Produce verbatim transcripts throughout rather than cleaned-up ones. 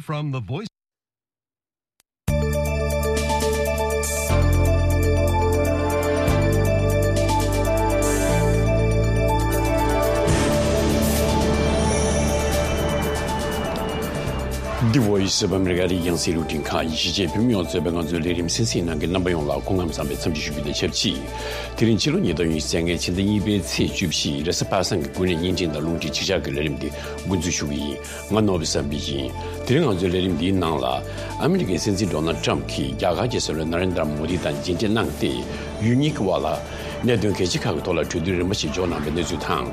From the Voice. The Voice of America རྒྱང་སྲིང་རླུང་འཕྲིན་ཁང་ཡིན། གཞིས་བྱེས་བོད་མི་ཡོངས་གཙོས་པའི་ང་ཚོའི་ལས་རིམ་གསན་གཟིགས་གནང་མཁན་རྣམ་པ་ཡོངས་ལ་སྐུ་ཁམས་བཟང་བའི་འཚམས་འདྲི་ཞུ་རྒྱུ་དང་ཆབས་ཅིག་དེ་རིང་ཕྱི་ལོ་ཉིས་སྟོང་ཉི་ཤུ་རྩ་ལྔའི་ཕྱི་ཟླ་གཉིས་པའི་ཚེས་བཅུ་བཞི་རེས་གཟའ་པ་སངས་ཀྱི་དགུན་གནས་བརྙན་འཕྲིན་དང་རླུང་འཕྲིན་ཅིག་ཅར་གྱི་ལས་རིམ་འདི་འགོ་འཛུགས་ཞུ་གི་ཡིན། ང་ནོར་བུ་བསམ་འཕེལ་ཡིན། དེ་རིང་ང་ཚོའི་ལས་རིམ་འདིའི་ནང་ལ། ཨ་མི་རི་ཀའི་སྲིད་འཛིན་ཌོ་ནལ་ཊམ་གྱིས་རྒྱ་གར་གྱི་སྲིད་བློན་ནཱ་རེན་དྲ་མོ་དི་དང་མཇལ་འཕྲད་གནང་སྟེ། ཡུལ་གཉིས་ཀྱི་དབར་ལ་གནད་དོན་གལ་ཆེ་ཁག་གི་ཐོག་ལ་གྲོས་བསྡུར་རིམ་པ་ཞིག་འཇོག་གནང་བའི་གནས་ཚུལ་དང་།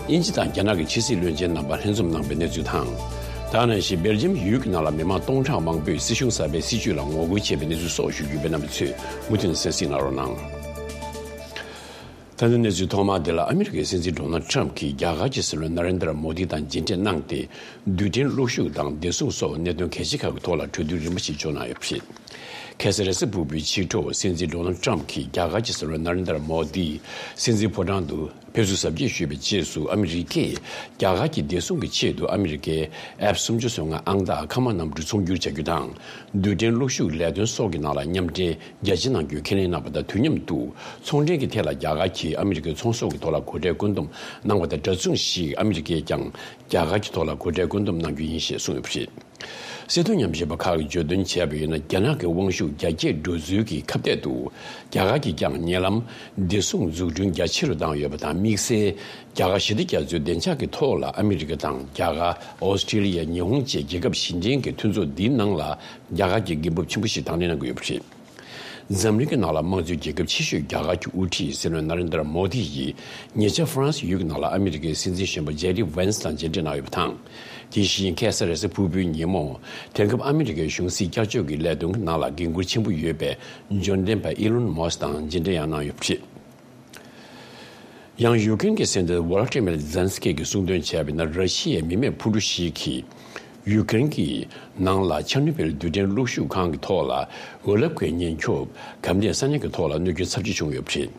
དབྱིན་ཇི་དང་རྒྱ་ནག་གི་ཕྱི་སྲིད་བློན་ཆེན་རྣམ་པ་ལྷན་འཛོམས་གནང་བའི་གནས་ཚུལ་དང་། ད་ག་ནང་བཞིན་སྦེལ་ཇམ་ཡུལ་གྱི་ནང་ལ་མི་མང་སྟོང་ཕྲག་མང་པོས་སྲིད་གཞུང་གསར་པའི་སྲིད་བྱུས་ལ་ངོ་རྒོལ་བྱས་པའི་གནས་ཚུལ་སོགས་ཞུ་རྒྱུ་ཡོད་པས། རྣམ་པ་ཚོས་མུ་མཐུད་ནས་གསན་གཟིགས་གནང་རོགས་གནང་། ད་ལྟ་གནས་ཚུལ་ཐོག་མ་དེ་ལ། ཨ་མི་རི་ཀའི་སྲིད་འཛིན་ཌོ་ནལ་ཊམ་གྱིས་རྒྱ་གར་གྱི་སྲིད་བློན་ནཱ་རེན་དྲ་མོ་དི་དང་མཇལ་འཕྲད་གནང་སྟེ། རྡུལ་ཕྲན་གློག་ཤུགས་དང་བདེ་སྲུང་སོགས་གནད་དོན་གལ་ཆེ་ཁག་གི་ཐོག་ལ་གྲོས་བསྡུར་རིམ་པ་ཞིག་འཇོག་གནང་ཡོད་པ་རེད། ཁ་སང་རེས་གཟའ་ཕུར་བུའི་ཕྱི་དྲོ། སྲིད་འཛིན་ཌོ་ནལ་ཊམ་གྱིས་རྒྱ་གར་གྱི་སྲིད་བློན་ནཱ་རེན་དྲ་མོ་དི་སྲིད་འཛིན་ཕོ་བྲང་དུ་ཕེབས་བསུ་གཟབ་རྒྱས་ཞུས་པའི་རྗེས་སུ། ཨ་མི་རི་ཀས་རྒྱ་གར་གྱི་བདེ་སྲུང་གི་ཆེད་དུ་ཨ་མི་རི་ཀའི་ཨེཕ་སུམ་ཅུ་སོ་ལྔ་ཨང་རྟགས་ཁ་དམག་གནམ་གྲུ་ཚོང་སྒྱུར་བྱ་རྒྱུ་དང་། རྡུལ་ཕྲན་གློག་ཤུགས་ལས་དོན་སོགས་ཀྱི་ནང་ལ་མཉམ་འབྲེལ་རྒྱ་ཆེ་གནང་རྒྱུའི་ཁས་ལེན་གནང་བ་དང་དུས་མཉམ་དུ། ཚོང་འབྲེལ་གྱི་ཐད་ལ་རྒྱ་གར་གྱིས་ཨ་མི་རི་ཀའི་ཚོང་ཟོག་གི་ཐོག་ལ་སྒོ་ཁྲལ་བཀོད་འདོམས་གནང་བ་དང་འདྲ་མཚུངས་ཤིག་ཨ་མི་རི་ཀས་ཀྱང་རྒྱ་གར་གྱི་ཐོག་ལ་སྒོ་ཁྲལ་བཀོད་འདོམས་གནང་རྒྱུ་ཡིན་ཞེས་གསུངས་ཡོད་པ་རེད། སྲིད་དོན་ཉམས་ཞིབ་པ་ཁག་གིས་བརྗོད་དོན་བྱས་པ་ཡིན་ན། རྒྱ་ནག་གི་དབང་ཤུགས་རྒྱ་སྐྱེད་འགྲོ་ཚུལ་གྱི་ཁ་གཏད་དུ། རྒྱ་གར་གྱིས་ཀྱང་ཉེ་ལམ་བདེ་སྲུང་འཛུགས་སྐྲུན་རྒྱ་ཆེ་རུ་བཏང་ཡོད་པ་དང་། དམིགས་བསལ་རྒྱ་གར་ཞི་བདེ་རྒྱ་མཚོའི་བདེ་འཇགས་ཀྱི་ཐོག་ལ་ཨ་མི་རི་ཀ་དང་རྒྱ་གར། ཨོ་སི་ཀྲི་ལི་ཡ། ཉི་ཧོང་བཅས་རྒྱལ་ཁབ་བཞི་ལྡན་གྱི་མཐུན་ཚོགས་འདིའི་ནང་ལ་རྒྱ་གར་གྱིས་འགན་འབབ་ཆེན་པོ་ཞིག་དང་ལེན་གནང་གི་ཡོད་པ་རེད། འཛམ་གླིང་གི་ནང་ལ་དམངས་གཙོའི་རྒྱལ་ཁབ་ཆེ་ཤོས་རྒྱ་གར་གྱི་དབུ་ཁྲིད་སྲིད་བློན་ནཱ་རེན་དྲ་མོ་དི་ཡིས་ཉེ་ཆར་ཧྥ་རན་སི་ཡུལ་གྱི་ནང་ལ་ཨ་མི་རི་ཀའི་སྲིད་འཛིན་གཞོན་པ་ཇེ་ཌི་ཝན་སི་དང་མཇལ་འཕྲད་གནང་ཡོད་པ་དང་། དེ་བཞིན་ཁ་སང་རེས་གཟའ་ཕུར་བུའི་ཉིན་མོ། དེང་སྐབས་ཨ་མི་རི་ཀའི་གཞུང་སྲིད་བསྐྱར་བཅོས་ཀྱི་ལས་དོན་གྱི་ནང་ལ་འགན་འཁུར་ཆེན་པོ་ཡོད་པའི་འབྱོར་ལྡན་པ་ཨི་ལོན་མོ་སི་དང་མཇལ་འཕྲད་ཡང་གནང་ཡོད་པ་རེད། ཡང་ཡུ་ཀེ་རེན་གྱི་སྲིད་འཛིན་ཝོ་ལོ་ཏི་མེར་ཛེན་སི་ཀི་གིས་གསུངས་དོན་བྱས་པ་ཡིན་ན། ར་ཤི་ཡའི་མི་མེད་འཕུར་གྲུ་ཞིག་གིས་ཡུ་ཀེ་རེན་གྱི་ནང་ལ་ཆེར་ནོ་བིལ་རྡུལ་ཕྲན་གློག་ཤུགས་ཁང་གི་ཐོག་ལ་འོད་རླབས་ཀྱི་ཉེན་སྐྱོབ་གམ་དེ་ས་གནས་ཀྱི་ཐོག་ལ་གནོད་སྐྱོན་ཚབས་ཆེ་བྱུང་ཡོད་པ་རེད།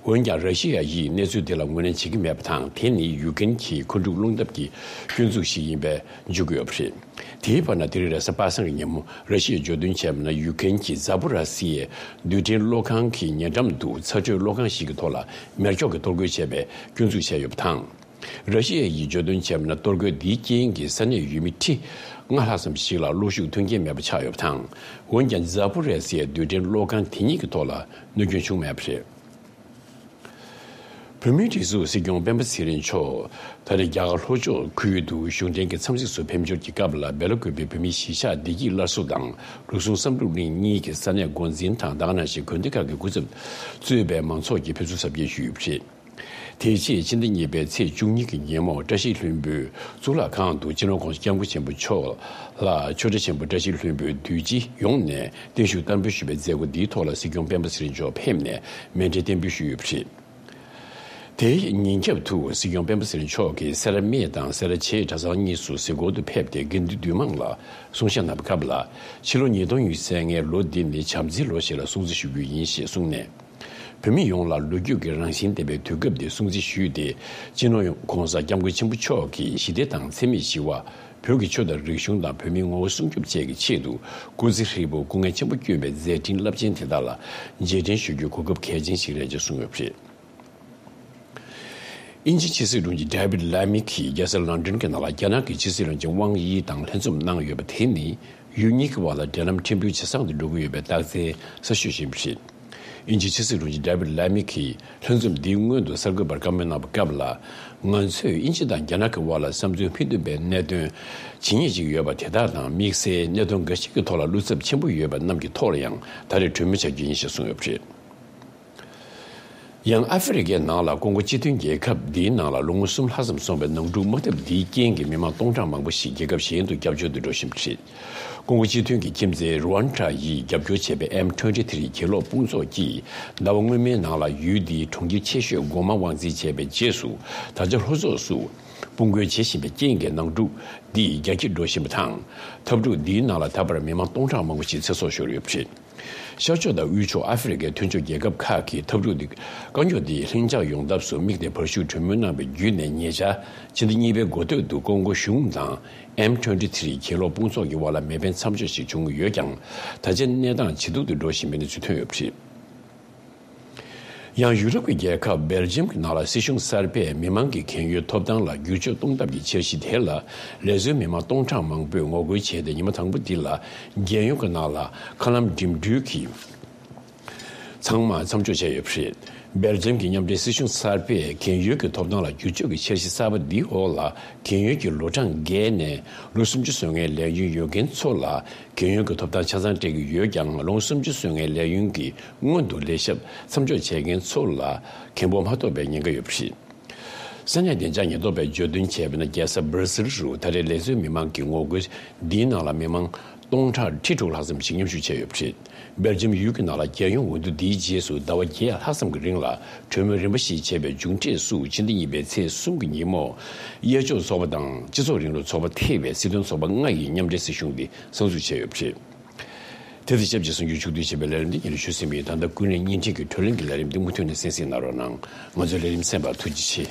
འོན་ཀྱང་། ར་ཤི་ཡ་ཡིས་གནས་ཚུལ་དེ་ལ་ངོས་ལེན་བྱེད་ཀྱི་མེད་པ་དང་། དེ་ནི་ཡུ་ཀེ་རེན་གྱི་མཁོ་སྒྲུབ་རླུང་འདེབས་ཀྱི་སྐྱོན་འཛུགས་ཤིག་ཡིན་པས་འཇོག་གི་ཡོད་པ་རེད། དེའི་བར་ན། དེ་རིང་རེས་གཟའ་པ་སངས་ཀྱི་ཉིན་མོ། ར་ཤི་ཡས་བརྗོད་དོན་བྱས་པ་ན། ཡུ་ཀེ་རེན་གྱིས་ཛ་པོ་ར་སི་ཡའི་རྡུལ་ཕྲན་གློག་ཁང་གི་ཉེ་འགྲམ་དུ་ཚྭ་དྲོད་གློག་ཁང་ཞིག་གི་ཐོག་ལ་མེ་སྒྱོགས་ཀྱིས་གཏོར་རྒོལ་བྱས་པའི་སྐྱོན་འཛུགས་བྱས་ཡོད་པ་དང་། ར་ཤི་ཡ་ཡིས་བརྗོད་དོན་བྱས་པ་ན། གཏོར་རྒོལ་འདིའི་རྐྱེན་གྱིས་ས་གནས་ཡུལ་མི་ཁྲི་ལྔ་ལྷག་ཙམ་ཞིག་ལ་གློག་ཤུགས་མཐུན་རྐྱེན་མེད་པ་ཆགས་ཡོད་པ་དང་། འོན་ཀྱང་། ཛ་པོ་རེ་སི་ཡའི་རྡུལ་ཕྲན་གློག་ཁང་དེ་ཉིད་ཀྱི་ཐོག་ལ་གནོད་སྐྱོན་བྱུང་མེད་པ་རེད། བོད་མིའི་སྒྲིག་འཛུགས་སྲིད་སྐྱོང་སྤེན་པ་ཚེ་རིང་མཆོག་ད་རེས་རྒྱ་གར་ལྷོ་ཕྱོགས་ཁུལ་དུ་གཞུང་འབྲེལ་གྱི་འཚམས་གཟིགས་སུ་ཕེབས་འབྱོར་གྱི་སྐབས་ལ། སྦེལ་ཀོབ་པའི་བོད་མིའི་གཞིས་ཆགས་བདེ་སྐྱིད་སླར་གསོ་དང་། རུ་ཟུངས་བསམ་གྲུབ་གླིང་གཉིས་ཀྱི་ས་གནས་འགོ་འཛིན་དང་། ད་ག་ནང་བཞིན་དགོན་སྡེ་ཁག་གི་སྐུ་ཚབ་གཙོས་པའི་མང་ཚོགས་ཀྱིས་ཕེབས་བསུ་གཟབ་རྒྱས་ཞུས་ཡོད་པ་རེད། དེའི་རྗེས། ཕྱི་ཟླ་གཉིས་པའི་ཚེས་བཅུ་གཉིས་ཀྱི་ཉིན་མོ། བཀྲ་ཤིས་ལྷུན་པོའི་གཙུག་ལག་ཁང་དུ། སྤྱི་ནོར་༸གོང་ས་༸སྐྱབས་མགོན་ཆེན་པོ་མཆོག་ལ་ཆོས་གྲྭ་ཆེན་པོ་བཀྲ་ཤིས་ལྷུན་པོའི་འདུས་སྤྱི་ཡོངས་ནས་བརྟན་བཞུགས་བསྟར་འབུལ་ཞུས་པའི་མཛད་སྒོ་འདིའི་ཐོག་ལ། སྲིད་སྐྱོང་སྤེན་པ་ཚེ་རིང་མཆོག་ཕེབས་ནས་མཎྜལ་བརྟན་འབུལ་ཞུས་ཡོད་པ་རེད། དེའི་ཉིན་རྒྱབ་ཏུ། སྲིད་སྐྱོང་སྤེན་པ་ཚེ་རིང་མཆོག་གིས་སེ་ར་སྨད་དང་སེ་ར་བྱེས་གྲྭ་ཚང་གཉིས་སུ་གཟིགས་སྐོར་དུ་ཕེབས་ཏེ། དགེ་འདུན་འདུས་མང་ལ་སྲུང་བྱ་གནང་བའི་སྐབས་ལ། ཕྱི་ལོ་ཉིས་སྟོང་ཉི་ཤུ་རྩ་ལྔའི་ལོ་འདི་ནི་བྱམས་བརྩེའི་ལོ་ཞིག་ལ་སྲུང་བརྩི་ཞུ་རྒྱུ་ཡིན་ཞེས་གསུངས་ནས། བོད་མི་ཡོངས་ལ་ལོ་རྒྱུས་ཀྱི་རང་བཞིན་ལྡན་པའི་དུས་སྐབས་འདི་སྲུང་བརྩི་ཞུས་ཏེ། སྤྱི་ནོར་༸གོང་ས་༸སྐྱབས་མགོན་ཆེན་པོ་མཆོག་གིས་ཞི་བདེ་དང་འཚེ་མེད་ཞི་བ། བོད་ཀྱི་ཆོས་དང་རིག་གཞུང་དང་བོད་མིའི་ངོ་བོ་སྲུང་སྐྱོབ་བཅས་ཀྱི་ཆེད་དུ་སྐུ་ཚེ་ཧྲིལ་པོར་སྐུ་ངལ་ཆེན་པོ་བསྐྱོན་པའི་མཛད་འཕྲིན་རླབས་ཆེན་དེ་དག་ལ་རྗེས་དྲན་ཞུ་རྒྱུའི་གོ་སྐབས་གལ་ཆེན་ཞིག་རེད་ཅེས་གསུངས་ཡོད་པ་རེད། དབྱིན་ཇིའི་ཕྱི་སྲིད་དྲུང་ཆེ་ཌེ་བིད་ལ་མི་གིས་རྒྱལ་ས་ལོན་ཌོན་གྱི་ནང་ལ་རྒྱ་ནག་གི་ཕྱི་སྲིད་བློན་ཆེན་ཝང་དབྱི་དང་ལྷན་འཛོམས་གནང་ཡོད་པ་དེ་ནི། ཡུལ་གཉིས་ཀྱི་དབར་ལ་འབྲེལ་ལམ་ཕྲན་བུ་ཇེ་བཟང་དུ་འགྲོ་གི་ཡོད་པའི་རྟགས་མཚན་གསལ་ཤོས་ཤིག་ཡིན་པ་རེད། དབྱིན་ཇིའི་ཕྱི་སྲིད་དྲུང་ཆེ་ཌེ་བིད་ལ་མི་གིས་ལྷན་འཛོམས་འདིའི་སྔོན་དུ་གསར་འགོད་པར་བཀའ་མོལ་གནང་བའི་སྐབས་ལ། ང་ཚོས་དབྱིན་ཇི་དང་རྒྱ་ནག་གི་དབར་ལ་བསམ་ཚུལ་མི་མཐུན་པའི་གནད་དོན་ཇི་སྙེད་ཅིག་ཡོད་པ་དེ་དག་དང་། དམིགས་བསལ་གནད་དོན་འགའ་ཞིག་གི་ཐོག་ལ་བློ་འཚབ་ཆེན་པོ་ཡོད་པ་རྣམས་ཀྱི་ཐོག་ལ་ཡང་ད་རེས་གྲོས་མོལ་བྱ་རྒྱུ་ཡིན་ཞེས་གསུངས་ཡོད་པ་རེད། ཡང་ཨ་ཧྥེ་རི་ཁའི་ནང་ལ་ཀོང་གོ་སྤྱི་མཐུན་རྒྱལ་ཁབ་འདིའི་ནང་ལ་ལོ་ངོ་གསུམ་ལྷག་ཙམ་སོང་བའི་ནང་འཁྲུག་དམག་འཐབ་འདིའི་རྐྱེན་གྱིས་མི་མང་སྟོང་ཕྲག་མང་པོ་ཞིག་རྒྱལ་ཁབ་གཞན་དུ་སྐྱབས་བཅོལ་དུ་འགྲོ་བཞིན་པ་རེད། ཀོང་གོ་སྤྱི་མཐུན་གྱི་ཁྱིམ་མཚེས་རུ་ཝན་ཌ་ཡིས་རྒྱབ་སྐྱོར་བྱས་པའི་ཨེམ་ཊུ་ཝེན་ཊི་ཐི་རི་གྱེན་ལོག་དཔུང་ཚོགས་ཀྱིས་ཟླ་བ་སྔོན་མའི་ནང་ལ་ཡུལ་འདིའི་གྲོང་ཁྱེར་ཆེ་ཤོས་གོ་མ་དབང་འཛིན་བྱས་པའི་རྗེས་སུ། ད་ཆ་ལྷོ་ཕྱོགས་སུ་ དཔུང་རྒོལ་བྱེད་བཞིན་པའི་རྐྱེན་གྱིས་ནང་འཁྲུག་འདི་རྒྱ་སྐྱེད་འགྲོ་བཞིན་པ་དང་། འཐབ་འཁྲུག་འདིའི་ནང་ལ་ད་བར་མི་མང་སྟོང་ཕྲག་མང་པོ་ཞིག་ཚེ་སྲོག་ཤོར་ཡོད་པ་རེད། ཤར་ཕྱོགས་དང་དབུས་ཕྱོགས་ཨ་ཧྥེ་རི་ཁའི་མཐུན་ཕྱོགས་རྒྱལ་ཁབ་ཁག་གིས་འཐབ་འཁྲུག་འདི་དཀའ་རྙོག་འདི་ལྷིང་འཇགས་ཡོང་ཐབས་སུ་དམིགས་ཏེ་བར་ཞུགས་གྲོས་མོལ་གནང་བའི་བརྒྱུད་ནས། ཉེ་ཆར་ཕྱི་ཟླ་གཉིས་པའི་འགོ་སྟོད་དུ་ཀོང་གོ་གཞུང་དང་ཨེམ་ཊུ་ཝེན་ཊི་ཐི་རི་གྱེན་ལོག་དཔུང་ཚོགས་ཀྱི་དབར་ལ་མེ་འཕེན་མཚམས་འཇོག་ཞིག་བྱུང་ཡོད་ཀྱང་། ད་ཆ་གནས་སྟངས་ཇེ་སྡུག་ཏུ་འགྲོ་བཞིན་པའི་གནས་ཚུལ་ཐོན་ཡོད་པ་རེད། ཡང་ཡུ་རོབ་ཀྱི་རྒྱལ་ཁབ་སྦེལ་ཇམ་གྱི་ནང་ལ་སྲིད་གཞུང་གསར་པས་མི་མང་གི་གན་ཡོལ་ཐོབ་ཐང་ལ་བསྒྱུར་བཅོས་གཏོང་ཐབས་ཀྱི་འཆར་གཞི་དེ་ལ་ལས་བཟོའི་མི་མང་སྟོང་ཕྲག་མང་པོས་ངོ་རྒོལ་བྱས་ཏེ། ཉི་མ་དང་པོ་འདི་ལ་རྒྱལ་ཡོངས་ཀྱི་ནང་ལ་མཁའ་ལམ་འགྲིམ་འགྲུལ་གྱི་ཚང་མ་མཚམས་འཇོག་བྱས་ཡོད་པ་རེད། སྦེལ་ཇམ་གྱི་མཉམ་འབྲེལ་སྲིད་གཞུང་གསར་པས་གན་ཡོལ་གྱི་ཐོབ་ཐང་ལ་བསྒྱུར་བཅོས་ཀྱི་འཆར་གཞི་གསར་པ་འདིའི་འོག་ལ། གན་ཡོལ་གྱི་ལོ་གྲངས་བརྒལ་ནས་ལོ་སུམ་ཅུ་སོན་མཁན་ལས་ཡུན་ཡོད་མཁན་ཚོ་ལ་གན་ཡོལ་གྱི་ཐོབ་ཐང་ཆ་ཚང་སྤྲད་ཀྱི་ཡོད་ཀྱང་། ལོ་ངོ་སུམ་ཅུ་སོན་མཁན་ལས་ཡུན་གྱི་སྔོན་དུ་ལས་ཞབས་མཚམས་འཇོག་བྱེད་མཁན་ཚོ་ལ་གན་འབོར་མ་ཐོབ་པའི་ཉེན་ཁ་ཡོད་པ་རེད། ས་གནས་བདེ་འཇགས་ཉེན་རྟོག་པས་བརྗོད་དོན་བྱས་པ་ན། རྒྱལ་ས་སྦར་སིལ་རུ་ད་རེས་ལས་བཟོའི་མི་མང་གི་ངོ་རྒོལ་འདིའི་ནང་ལ་མི་མང་སྟོང་ཕྲག་ཁྲི་དྲུག་ལྷག་ཙམ་ཞིག་མཉམ་ཞུགས་བྱས་ཡོད་པ་རེད། སྦེལ་ཇམ་ཡུལ་གྱི་ནང་ལ་རྒྱལ་ཡོངས་འོས་བསྡུ་འདིའི་རྗེས་སུ་ཟླ་བ་བརྒྱད་ལྷག་ཙམ་གྱི་རིང་ལ་གྲོས་མོལ་རིམ་པ་ཞིག་བྱས་པའི་མཇུག་འབྲས་སུ། ཕྱི་ཟླ་གཉིས་པའི་ཚེས་གསུམ་གྱི་ཉིན་མོ། གཡས་ཕྱོགས་ཚོགས་པ་དང་སྤྱི་ཚོགས་རིང་ལུགས་ཚོགས་པ་ཐེ་བའི་སྲིད་དོན་ཚོགས་པ་ལྔ་ཡིས་མཉམ་འབྲེལ་སྲིད་གཞུང་འདི་གསར་འཛུགས་བྱས་ཡོད་པ་རེད། དེ་དང་ཆབས་ཅིག་གསར་འགྱུར་ཕྱོགས་བསྡུས་བྱས་པའི་ལས་རིམ་འདི་སྙན་ཞུ་ཟིན་པ་ཡིན། ད་ལྟ་ཀུན་གླེང་བརྙན་འཕྲིན་གྱི་བགྲོ་གླེང་གི་ལས་རིམ་འདི་མུ་མཐུད་ནས་གསན་གཟིགས་གནང་རོགས་གནང་། ང་ཚོའི་ལས་རིམ་གསན་པར་ཐུགས་རྗེ་ཆེ།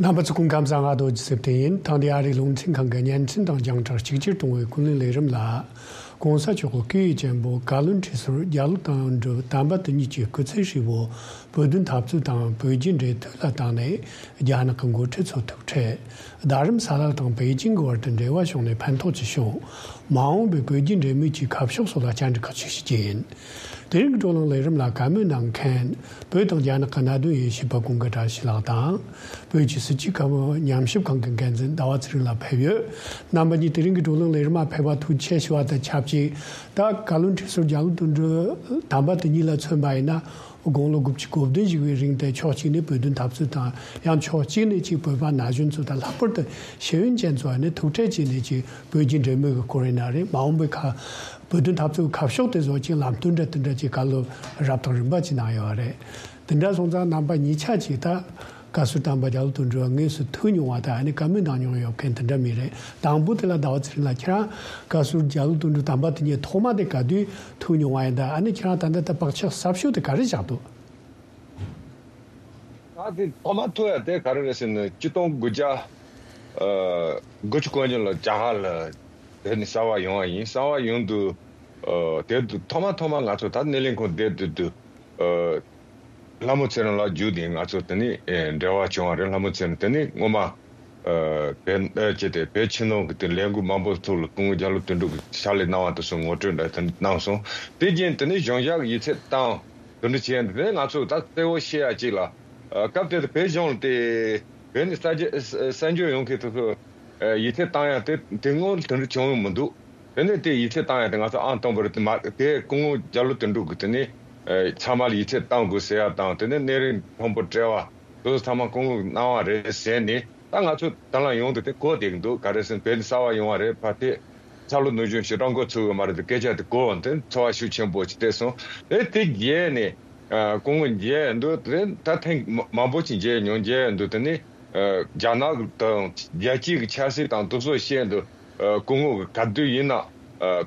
རྣམ་པ་ཚོ་སྐུ་ཁམས་བཟང་། ང་རྡོ་རྗེ་ཚེ་བརྟན་ཡིན། ཐེངས་འདིའི་ཨ་རིའི་རླུང་འཕྲིན་ཁང་གི་བརྙན་འཕྲིན་དང་རྒྱང་བསྒྲགས་གཅིག་གྱུར་གཏོང་བའི་ཀུན་གླེང་ལས་རིམ་ལ། ༸གོང་ས་མཆོག་གི་སྐུ་ཡི་གཅེན་པོ་བཀའ་བློན་ཁྲི་ཟུར་རྒྱ་ལོ་དོན་གྲུབ་དམ་པ་དེ་ཉིད་ཀྱི་སྐུ་ཚེ་ཧྲིལ་པོ་བོད་དོན་འཐབ་རྩོད་དང་བོད་རྒྱའི་འབྲེལ་མཐུད་ལ་བཏང་ནས། རྒྱ་ནག་གི་འགོ་ཁྲིད་ཚོ་ཐུག་འཕྲད། རྡ་རམ་ས་ལ་དང་པེ་ཅིང་གི་བར་དུ་འབྲེལ་བ་བྱུང་ནས་ཕན་ཐོགས་ཅི་བྱུང་། མ་འོངས་པའི་བོད་རྒྱའི་འབྲེལ་མོལ་གྱི་ཁ་ཕྱོགས་སོགས་ལ་བཅར་འདྲི་ཁག་ཅིག་ཞུ་རྒྱུ་ཡིན། དེ་རིང་གི་བགྲོ་གླེང་ལས་རིམ་ལ་བཀའ་མོལ་གནང་མཁན། བོད་དང་རྒྱ་ནག་གི་གནད་དོན་དབྱེ་ཞིབ་པ་ཀུན་དགའ་བཀྲ་ཤིས་ལགས་དང་། བོད་ཀྱི་སྲིད་བྱུས་བཀའ་མོལ་ཉམས་ཞིབ་ཁང་གི་འགན་འཛིན་ཟླ་བ་ཚེ་རིང་ལགས་ཕེབས་ཡོད། རྣམ་པ་གཉིས་དེ་རིང་གི་བགྲོ་གླེང་ལས་རིམ་མ་ཕེབས་པ་ཐུགས་རྗེ་ཆེ་ཞུ་བ་དང་ཆབས་ཅིག་ད་བཀའ་བློན་ཁྲི་ཟུར་རྒྱ་ལོ་དོན་གྲུབ་དམ་པ་དེ་ཉིད་ལ་མཚོན་པ་ཡིན་ན། དགུང་ལོ་དགུ་བཅུ་གོ་བདུན་བཞུགས་པའི་རིང་དེ་ཕྱོགས་གཅིག་ནས་བོད་དོན་འཐབ་རྩོད་དང་། ཡང་ཕྱོགས་གཅིག་ནས་ཅིག་བོད་པ་ན་གཞོན་ཚོ་དང་། ལྷག་པར་དུ་ཤེས་ཡོན་ཅན་ཚོ་ནས་ཐུག་འཕྲད་བྱས་ནས་ཅིག་བོད་རྒྱའི་འབྲེལ་མོལ་གྱི་སྐོར་ཡིན་ན་རེད། མ་འོངས་པའི་ཁ་བོད་དོན་འཐབ་རྩོད་ཁ་ཕྱོགས་དེ་བཟོ་ཅིག་ལམ་སྟོན་འདྲ་དེ་འདྲ་ཅིག་བཀའ་སློབ་རབ་དང་རིམ་པ་ཅིག་གནང་ཡོད་རེད། དེ་འདྲ་སོང་ཙང་རྣམ་པ་གཉིས་ཆ་ཅིག་ད་བཀའ་ཟུར་དམ་པ་རྒྱ་ལོ་དོན་གྲུབ་དངོས་སུ་ཐུག་མྱོང་བ་དང་། ཨ་ནི་བཀའ་མོལ་གནང་མྱོང་ཡོད་མཁན་དེ་འདྲ་མི་རེད། དང་པོ་དེ་ལ་ཟླ་བ་ཚེ་རིང་ལགས། ཁྱེད་རང་བཀའ་ཟུར་རྒྱ་ལོ་དོན་གྲུབ་དམ་པ་དེ་ཉིད་ཐོག་མ་དེ་ག་དུས་ཐུག་མྱོང་བ་ཡིན་དང་། ཨ་ནི་ཁྱེད་རང་ད་ལྟ་ད་བག་ཆགས་གསར་ཤོས་དེ་ག་རེ་བཞག་འདུག་ད་དེ་ཐོག་མ་ཐུག་ཡ་དེ་ག་རེ་རེད་ཟེར་ན། ཆིག་སྟོང་དགུ་བརྒྱ་ཨ་དགུ་བཅུ་གོ་གཉིས་ལ་རྒྱ་གར་ལ་དེ་ནི་གསར་པ་ཡོང་བ་ཡིན། གསར་པ་ཡོང་དུས་ཨ་དེ་དུས་ཐོག་མ་ཐོག་མ་ང་ཚོ་ད་སྣེ་ལེན་ཁང་བསྡད་དུས་དུས་ཨ་ལྷ་མོ་ཚེ་རིང་ལགས་བརྒྱུད་དེ་ང་ཚོ་དེ་ནི་ཨེ་འབྲེལ་བ་བྱུང་བ་རེད། ལྷ་མོ་ཚེ་རིང་དེ་ནི་སྔོན་མ་ཨ་བོད་ཨ་ཅེ་དེ་བོད་ཕྱི་ནང་གི་དེ་ལས་འགུལ་མང་པོ་ཐོག་ལ་སྐུ་ངོ་རྒྱ་ལོ་དོན་གྲུབ་ཀྱི་ཕྱག་ལས་གནང་བ་དེ་ཚོ་ངོ་སྤྲོད་འདྲ་དེ་གནང་སོང་། དེ་རྗེས་དེ་ནི་གཞུང་ཞབས་ཀྱི་ཡིག་ཚད་བཏང་། དོན་འགྲུབ་བྱས་འདི་ནས་ང་ཚོ་ད་གསལ་བོ་ཤེས་ཡ་གཅིག་ལ། ཨ་སྐབས་དེ་དུ་བོད་གཞུང་ལ་དེ་བོད་ནས་གསར་བརྗེ་གསར་འབྱོར་ཡོང་མཁན་དེ་ཚོ་ཨ་ཡིག་ཚད་བཏང་ཡ་དེ་དེ་སྔོན་དོན་འགྲུབ་བྱུང་ཡོད་མི་འདུག་དེ་ནས་དེ་ཡིག་ཚད་བཏང་ཡ་དེ་ང་ཚོ་ཨང་དང་པོ་རེད། དེ་མ་དེ་སྐུ་ངོ་རྒྱ་ལོ་དོན་གྲུབ་ཀྱིས་དེ་ནས་ཨ་ཚང་མ་ལ་ཡིག་ཚད་བཏང་དགོས་ཟེར་ཡ་དང་། དེ་ནས་སྣེ་རིང་མཐོན་པོ་དཔྲལ་བ་དེ་ཚོ་ཚང་མ་སྐུ་ངོ་གནང་བ་རེད་ཟེར་ནས། ད་ང་ཚོ་ད་ལམ་ཡོང་དུས་དེ་གོ་བསྡད་ཀྱི་འདུག་ག་རེ་ཟེར་ན་བོད་གསར་པ་ཡོང་བ་རེད། ཕར་དེ་ཚ་ལུ་ནུ་གཞོན་ཞི་དྲག་འགོ་ཚུགས་ཡོད་མ་རེད། དེ་སྐད་ཆ་དེ་གོ་འོང་དེ་ཚོར་བ་ཤུགས་ཆེན་པོ་ཅིག་སླེབས་སོང་། ཨེ་དེ་རྗེས་ནས་ཨ་སྐུ་ངོ་མཇལ་འདུག་དེ་ད་ཐེངས་མ་མང་པོ་ཅིག་མཇལ་མྱོང་། མཇལ་འདུག་དེ་ནི་ཨ་རྒྱ་ནག་དང་རྒྱལ་སྤྱི་གི་ཆབ་སྲིད་དང་དེ་ཚོ་བཤད་འདུག་ཨ་སྐུ་ངོ་གི་ག་དུས་ཡིན་ན་ཨ་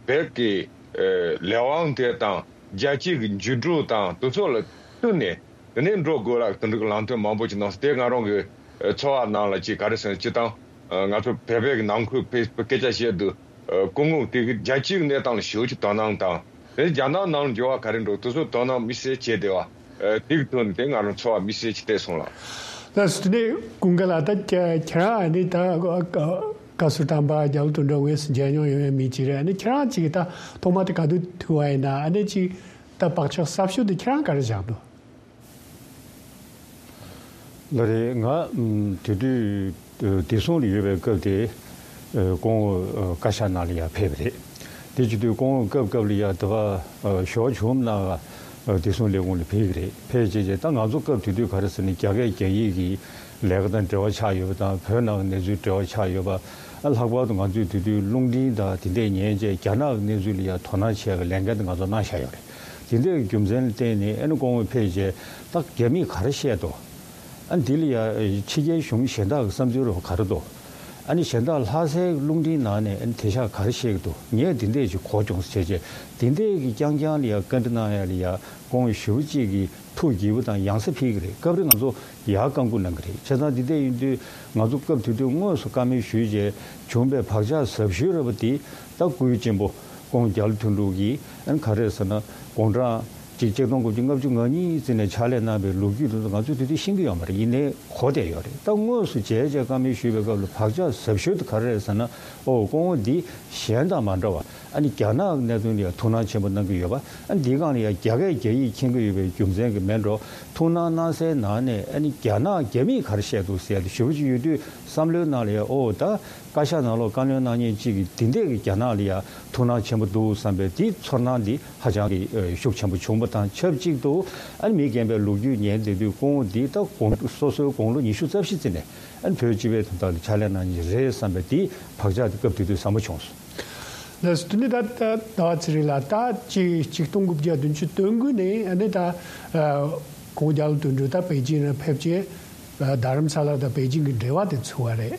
བོད་ཀྱི་ཨ་ལས་དབང་དེ་དང་རྒྱལ་སྤྱི་གི་འགྱུར་འགྲོས་དང་དེ་ཚོ་ལ་བསྟུན་ནས། དེ་ནས་འགྲོ་དགོས་ལ་དེ་འདྲ་གི་ལམ་སྟོན་མང་པོ་ཅིག་གནང་སོང་། དེ་ང་རང་གི་ཨ་ཚོར་བ་ནང་ལ་ཅིག་ག་རེ་ཟེར་ན། སྤྱིར་བཏང་ཨ་ང་ཚོ་བོད་པའི་གི་ནང་ཁུལ་ཕེ་སི་བུག་སྐད་ཆ་བཤད་དུས་ཨ་སྐུ་ངོ་དེ་གི་རྒྱལ་སྤྱིའི་གནས་སྟངས་ལ་ཞེ་པོ་ཅིག་དོ་སྣང་དང་། དེ་རྒྱ་ནག་ནང་ལ་འགྱུར་བ་ག་རེ་འགྲོ་དེ་ཚོ་དོ་སྣང་དམིགས་བསལ་བྱས་བསྡད་པ་ཨ་དེ་གི་ཐོག་ནས་དེ་ང་རང་ཚོར་བ་དམིགས་བསལ་ཅིག་སླེབས་སོང་ལགས། ལགས་སོ། དེ་ནས་ཀུན་དགའ་ལགས། ད་ཁྱེད་ཁྱེད་རང་ཨ་ནི་ད་བཀའ་ཟུར་དམ་པ་རྒྱ་ལོ་དོན་གྲུབ་དངོས་སུ་མཇལ་མྱོང་ཡོད་མཁན་མི་ཅིག་རེད། ཨ་ནི་ཁྱེད་རང་ཅིག་ད་ཐོག་མ་དེ་ག་དུས་ཐུག་པ་ཡིན་ན། ཨ་ནི་ཅིག་ད་བག་ཆགས་གསར་ཤོས་དེ་ཁྱེད་རང་ག་རེ་བཞག་འདུག་ལགས་རེད། ང་ཨམ་དེ་དུས་ཨ་བདེ་སྲུང་ལ་ཡོད་པའི་སྐབས་དེ་ཨ་སྐུ་ངོ་ཨ་བཀའ་ཤག་ནང་ལ་ཡར་ཕེབས་པ་རེད། དེ་བྱེད་དུས་སྐུ་ངོ་སྐབས་སྐབས་ལ་ཡར་དེ་ག་ཨ་ཞོགས་བྱུང་ན་ཨ་བདེ་སྲུང་ལས་ཁུངས་ལ་ཕེབས་ཀྱི་རེད། ཕེབས་བྱས་རྗེས་ད་ང་ཚོ་སྐབས་དེ་དུས་ག་རེ་ཟེར་ན་རྒྱ་སྐད་རྒྱ་ཡིག་གི་ལས་ཀ་དང་འབྲེལ་བ་ཆགས་ཡོད་པ་དང་། བོད་ནང་གི་གནས་ཚུལ་འབྲེལ་བ་ཆགས་ཡོད་པ། ཨ་ལྷག་པར་དུ་ང་ཚོས་དེ་དུས་རླུང་འཕྲིན་དང་དེ་འདྲས་ཉན་བྱས་རྒྱ་ནག་གི་གནས་ཚུལ་ལ་ཡང་དོ་སྣང་བྱེད་པའི་ལས་འགན་དེ་ང་ཚོ་གནང་བཞག་ཡོད་རེད། དེ་འདྲའི་རྒྱུ་མཚན་ལ་བརྟེན་ནས་ཨ་ནི་སྐུ་ངོ་ཕེབས་རྗེས་ད་རྒྱ་མིས་ག་རེ་བཤད་འདུག་ཨ་འདི་ལ་ཡ་ཕྱི་རྒྱལ་གཞུང་གཞན་དག་གི་བསམ་ཚུལ་རོ་ག་རེ་འདུག་ཨ་ནི་གཞན་དག་ལྷ་སའི་རླུང་འཕྲིན་ནང་ནས་ཨ་ནི་དེ་ཤག་ག་རེ་བཤད་ཀྱི་འདུག་ངས་འདི་འདྲས་ཅིག་གོ་བྱུང་ཟེར་བྱས་བྱས་འདི་འདྲས་ཀྱི་རྐྱང་རྐྱང་ལ་ཡ་བཀའ་འདྲི་གནང་ཡ་ལ་ཡ་སྐུ་ངོ་ཞེ་པོ་ཅིག་གིས་ཐུགས་དགྱེས་པོ་དང་ཡང་སེ་ཕེབས་ཀྱི་རེད། སྐབས་རེ་ང་ཚོ་ཡར་བཀའ་འགུག་གནང་གི་རེད། བྱས་ཙང་འདི་འདྲས་ཡིན་དུས་ང་ཚོ་སྐབས་དེ་དུས་དངོས་སུ་བཀའ་མོལ་ཞུས་རྗེས་བྱུང་པའི་བག་ཆགས་ཟབ་ཤོས་རེད་པ་དེ་ད་སྐུའི་གཅེན་པོ་སྐུ་ངོ་རྒྱ་ལོ་དོན་གྲུབ་ཀྱིས་ཨ་ནི་ག་རེ་ཟེར་ན་དགུང་གྲངས་གཅིག་ཆིག་སྟོང་དགུ་བརྒྱ་ལྔ་བཅུ་ང་གཉིས་ཙམ་ནས་ཕྱག་ལས་གནང་བའི་ལོ་རྒྱུས་དེ་ཚོ་ང་ཚོས་དེ་དུས་ཤེས་ཀྱི་ཡོད་མ་རེད། ཡིན་ནའི་གོ་བསྡད་ཡོད་རེད། ད་དངོས་སུ་མཇལ་བྱས་བཀའ་མོལ་ཞུས་པའི་སྐབས་ལ་བག་ཆགས་ཟབ་ཤོས་དེ་ག་རེ་རེད་ཟེར་ན། ཨོ་སྐུ་ངོ་འདི་གཞན་དང་མ་འདྲ་བ་ཨ་ནི་རྒྱ་ནག་གི་གནད་དོན་ལ་ཡང་ཐུགས་སྣང་ཆེན་པོ་གནང་གི་ཡོད་པ། ཨ་ནི་འདིའི་སྒང་ལ་ཡང་རྒྱ་སྐད་རྒྱ་ཡིག་མཁྱེན་གྱི་ཡོད་པའི་རྒྱུ་མཚན་གྱིས་མིན་འགྲོ། ཐུགས་སྣང་གནང་སའི་ནང་ནས་ཨ་ནི་རྒྱ་ནག་རྒྱ་མིས་ག་རེ་བཤད་འདུག་ཟེར་ཡ་དེ་ཞེ་པོ་ཅིག་ཡོད་དུས་བསམ་བློའི་ནང་ལ་ཡང་ཨོ་ད་བཀའ་ཤག་ནང་ལོགས་བཀའ་བློན་གནང་མཁན་གཅིག་གིས་འདི་འདྲས་ཀྱི་རྒྱ་ནག་ལ་ཡང་ཐུགས་སྣང་ཆེན་པོ་འདུག་བསམ་པའི་དེའི་ཚོར་སྣང་འདི་ཧ་ཅང་གི་ཨ་ཤུགས་ཆེན་པོ་བྱུང་བ་དང་ཆབས་ཅིག་ཏུ་ཨ་ནི་མི་རྒན་པའི་ལོ་རྒྱུས་ཉན་བསྡད་དུས་སྐུ་ངོ་འདི་ད་དགུང་སོ་སོའི་དགུང་ལོ་ཉི་ཤུ་རྩ་བཞི་ཙམ་ནས་ཨ་ནི་བོད་སྤྱི་པའི་དོན་དག་ལ་ཕྱག་ལས་གནང་མཁན་རེད་བསམ་པའི་དེའི་བག་ཆགས་དེ་སྐབས་དེ་དུས་ཟབ་མོ་བྱུང་སོང་། ལགས་སོ། དེ་ནས་ད་ད་ཟླ་བ་ཚེ་རིང་ལགས། ད་ཅིག་ཆིག་སྟོང་དགུ་བརྒྱ་བདུན་ཅུ་དོན་དགུ་ནས་ཨ་ནི་ད་ཨ་སྐུ་ངོ་རྒྱ་ལོ་དོན་གྲུབ་ད་པེ་ཅིན་ལ་ཕེབས་རྗེས་ཨ་རྡ་རམ་ས་ལ་དང་པེ་ཅིན་གྱི་འབྲེལ་བ་དེ་ཚུགས་པ་རེད།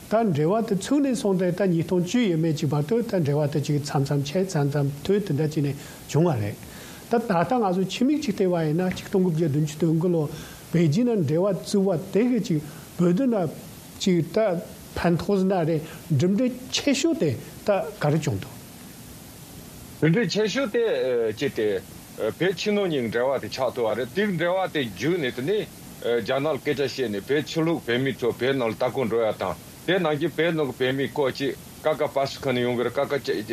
ད་འབྲེལ་བ་དེ་ཚུགས་ནས་བཟུང་སྟེ་ད་ཉིས་སྟོང་བཅུ་ཡས་མས་ཅིག་བར་དུ་ད་འབྲེལ་བ་དེ་ཅིག་མཚམས་མཚམས་ཆད་མཚམས་མཚམས་མཐུད་དེ་འདྲ་ཅིག་ནས་བྱུང་བ་རེད། ད་ད་ལྟ་ང་ཚོ་ཕྱི་མིག་ཅིག་བལྟས་པ་ཡིན་ན་ཆིག་སྟོང་དགུ་བརྒྱ་བདུན་ཅུ་དོན་དགུ་ལོ་པེ་ཅིན་ནང་འབྲེལ་བ་བཙུགས་པ་དེ་གི་ཅིག་བོད་དོན་ལ་ཅིག་ད་ཕན་ཐོགས་ཟིན་ན་རེད། གྲུབ་འབྲས་ཆེ་ཤོས་དེ་ད་ག་རེ་བྱུང་འདུག་གྲུབ་འབྲས་ཆེ་ཤོས་དེ་ཨ་ཅི་སྟེ་ཨ་བོད་ཕྱི་ནང་གཉིས་འབྲེལ་བ་དེ་ཆགས་ཐུབ་པ་རེད། དེ་འབྲེལ་བ་དེ་བརྒྱུད་ནས་དེ་ནས་ཨ་རྒྱ་ནག་ལ་སྐད་ཆ་བཤད་ནས་བོད་ཕྱི་ལོགས་བོད་མི་ཚོ་བོད་ནང་ལ་ལྟ་སྐོར་འགྲོ་ཡ་དང་། དེ་ནང་བཞིན་བོད་ནང་གི་བོད་མི་སྐོར་ཅིག་ཀ་ཀ་པ་སི་ཁ་ནས་ཡོང་གི་རེད། ཀ་ཀ་ཅེ་ཨ་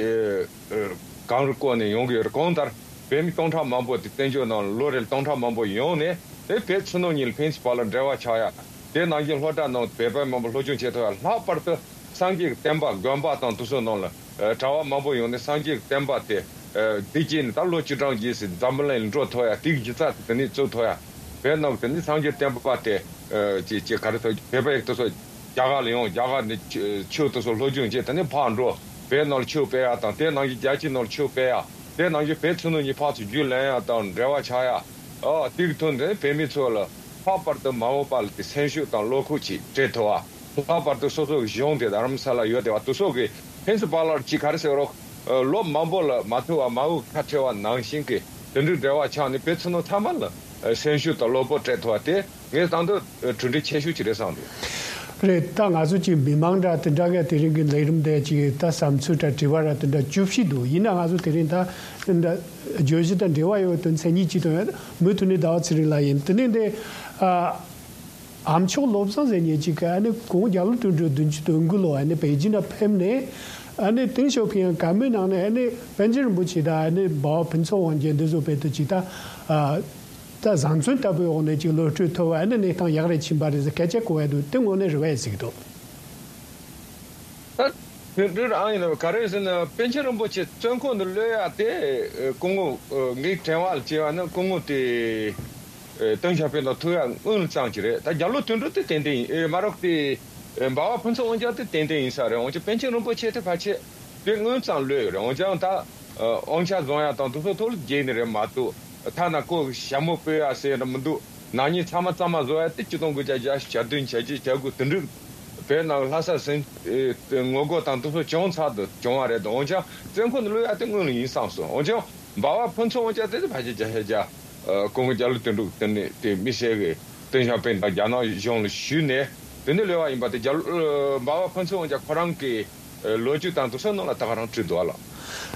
གངས་རི་སྐོར་ནས་ཡོང་གི་ཡོད་རེད། གང་ལྟར་བོད་མི་སྟོང་ཕྲག་མང་པོ་དེ་བཙན་བྱོལ་ནང་ལ་ལོ་རེར་སྟོང་ཕྲག་མང་པོ་ཡོང་ནས་དེ་བོད་ཕྱི་ནང་གཉིས་ལ་ཕན་ཚུན་བར་ལ་འབྲེལ་བ་ཆགས་ཡ། དེ་ནང་བཞིན་སློབ་གྲྭ་ནང་བོད་པ་མང་པོ་སློབ་སྦྱོང་བྱེད་ཐུབ་ཡ། ལྷག་པར་དུ་སངས་རྒྱས་ཀྱི་བསྟན་པ་དགོན་པ་དང་དེ་ཚོ་ནང་ལ་ཨ་གྲྭ་བ་མང་པོ་ཡོང་ནས་སངས་རྒྱས་ཀྱི་བསྟན་པ་དེ་ཨ་བདེ་སྐྱིད་ནས་ད་ལོ་བཅུ་གྲངས་རྗེས་སུ་འཛམ་བུ་གླིང་ལ་འགྲོ་ཐུབ་ཡ། དེ་གི་སྒྱུ་རྩལ་དེ་དེ་ནས་བཙུགས་ཐུབ་ཡ། བོད་ནང་གི་དེ་ནས་སངས་རྒྱས་བསྟན་པ་དེ་ཨ་ཅི་ཅི་ག་རེ་ཐོག་བོད་པ་ཡིག་དེ་ཚོ་རྒྱ་གར་ལ་ཡོང་། རྒྱ་གར་ནས་ཆོས་དེ་ཚོ་སློབ་སྦྱོང་བྱས། དེ་ནས་ཕར་འགྲོ། བོད་ནང་ལ་ཆོས་སྤེལ་ཡ་དང་། དེ་ནང་བཞིན་རྒྱལ་སྤྱི་ནང་ལ་ཆོས་སྤེལ་ཡ། དེ་ནང་བཞིན་བོད་ཕྱི་ནང་གཉིས་ཕར་ཚུར་རྒྱུས་ལོན་ཡ་དང་འབྲེལ་བ་ཆགས་ཡ། ཨ་དེ་གི་ཐོག་ནས་བོད་མི་ཚོ་ལ་ལྷག་པར་དུ་མ་འོངས་པ་ལ་དེ་སེམས་ཤུགས་དང་བློ་ཁོག་ཅིག་སྤྲད་ཐུབ་པ། ལྷག་པར་དུ་སོ་སོ་གི་གཞུང་དེ་རྡ་རམ་ས་ལ་ཡོད་བསྡད་པ་དེ་ཚོ་གིས་ཕན་ཚུན་བར་ལ་ཅིག་ག་རེ་ཟེར་རོགས། ཨ་ལོ་མང་པོ་ལ་མ་ཐུག་པ་མ་འོངས་ཁ་བྲལ་བ་ནང་བཞིན་གྱི་དེ་འདྲའི་འབྲེལ་བ་ཆགས་ནས་བོད་ཕྱི་ནང་ཚང་མ་ལ་ཨ་སེམས་ཤུགས་དང་བློ་སྤོབས་སྤྲད་ཐུབ་པ་དེ་ངས་བསམ་དུས་ཨ་གྲུབ་འབྲས་ཆེ་ཤོས་ཅིག་རེད་བསམ་འདུག་རེད། ད་ང་ཚོ་ཅིག་མི་མང་འདྲ་དེ་འདྲ་ག་དེ་རིང་གི་ལས་རིམ་དེ་ཅིག་ད་བསམ་ཚུལ་འདྲ་དྲི་བ་ར་དེ་འདྲ་བཅུ་བཞི་འདུག་ཡིན་ན་ང་ཚོ་དེ་རིང་ད་དེ་འདྲ་བརྗོད་གཞི་དང་འབྲེལ་བ་ཡོད་པའི་དོན་ཚན་གཉིས་ཅིག་དང་། མུ་མཐུད་ནས་ཟླ་བ་ཚེ་རིང་ལགས་ཡིན། དེ་ནས་འདི་ཨ། ཨ་མཆོག་བློ་བཟང་ཟེར་མཁན་ཅིག་གིས་ཨ་ནི་སྐུ་ངོ་རྒྱ་ལོ་དོན་གྲུབ་བདུན་ཅུ་དོན་དགུ་ལོ་ཨ་ནི་པེ་ཅིན་ལ་ཕེབས་ནས་ཨ་ནི་ཏེང་ཞའོ་ཕིང་བཀའ་མོལ་གནང་ནས་ཨ་ནི་པཎ་ཆེན་རིན་པོ་ཆེ་དང་ཨ་ནི་འབའ་བ་ཕུན་ཚོགས་དབང་རྒྱལ་འདི་ཚོ་བོད་དུ་ཅིག་ད་ཨ་ད་བཟང་བཙོན་ལྟ་བུའི་འོག་ནས་ཅིག་གློད་གྲོལ་ཐོབ་པ་ཨ་ནི་གནས་སྟངས་ཡག་རེ་ཕྱིན་པ་རེད་ཟེར་སྐད་ཆ་གོ་ཡ་འདུག་དེ་དངོས་གནས་རེད་པས་ཟེར་གྱི་འདུག་ད་དེ་འདྲ་ཨང་ཡིན་ན་ག་རེ་ཟེར་ན་པཎ་ཆེན་རིན་པོ་ཆེ་བཙོན་ཁང་དུ་གློད་ཡ་དེ་སྐུ་ངོ་ངའི་དྲན་པ་ལ་བྱས་པ་ན་སྐུ་ངོ་དེ། ཨེ་ཏེང་ཞའོ་ཕིང་དང་ཐུག་ཡ་དངུལ་ཙམ་ཅིག་རེད། ད་རྒྱ་ལོ་དོན་གྲུབ་དེ་ཏན་ཏན་ཡིན། ཨེ་མ་རོགས་དེ་ཨེ་འབའ་བ་ཕུན་ཚོགས་དབང་རྒྱལ་དེ་ཏན་ཏན་ཡིན་ས་རེད། འོན་ཀྱང་པཎ་ཆེན་རིན་པོ་ཆེ་དེ་ཕལ་ཆེར་དེ་དངུལ་ཙམ་ལོས་ཡོད་རེད། འོན་ཀྱང་ད་ཨ་དབང་ཆ་བཟུང་ཡ་དང་དེ་ཚོ་ཐོག་ལ་རྒྱལ་ནི་རེད་མ་གཏོགས་ཐ་ན་ཁོ་ཞྭ་མོ་སྤོས་ཡ་ཟེར་ཡ་མི་འདུག་ནག་ཉེས་ཚང་མ་གཙང་མ་བཟོ་ཡ་དེ་ཆིག་སྟོང་དགུ་བརྒྱ་བརྒྱད་ཅུ་གྱ་བདུན་གྱ་བརྒྱད་གྱ་དགུ་དེ་འདྲ་བོད་ནང་ལྷ་ས་ཟིན་ཨེ་ངོ་རྒོལ་དང་དེ་ཚོ་བྱུང་ཚར་དུ་བྱུང་བ་རེད། འོན་ཀྱང་བཙོན་ཁང་དུ་གློད་ཡ་དེ་དངོས་གནས་ཡིན་བསམ་སོང་། འོན་ཀྱང་འབའ་བ་ཕུན་ཚོགས་དབང་རྒྱལ་དེ་དེ་ཕལ་ཆེར་བརྒྱ་ཆ་བརྒྱ། ཨ་སྐུ་ངོ་རྒྱ་ལོ་དོན་གྲུབ་དེ་ནས་དེ་མི་སེར་གྱི་ཏེང་ཞའོ་ཕིང་དང་རྒྱ་ནག་གཞུང་ལ་ཞུས་ནས་དེ་ནས་གློད་པ་ཡིན་པ་དེ་རྒྱ་ལོ་ཨ་འབའ་བ་ཕུན་ཚོགས་དབང་རྒྱལ་ཁོ་རང་གི་ཨ་ལོ་རྒྱུས་དང་དེ་ཚོ་ནང་ལ་ད་ག་རང་བྲིས་འདུག་ཨ་ལགས།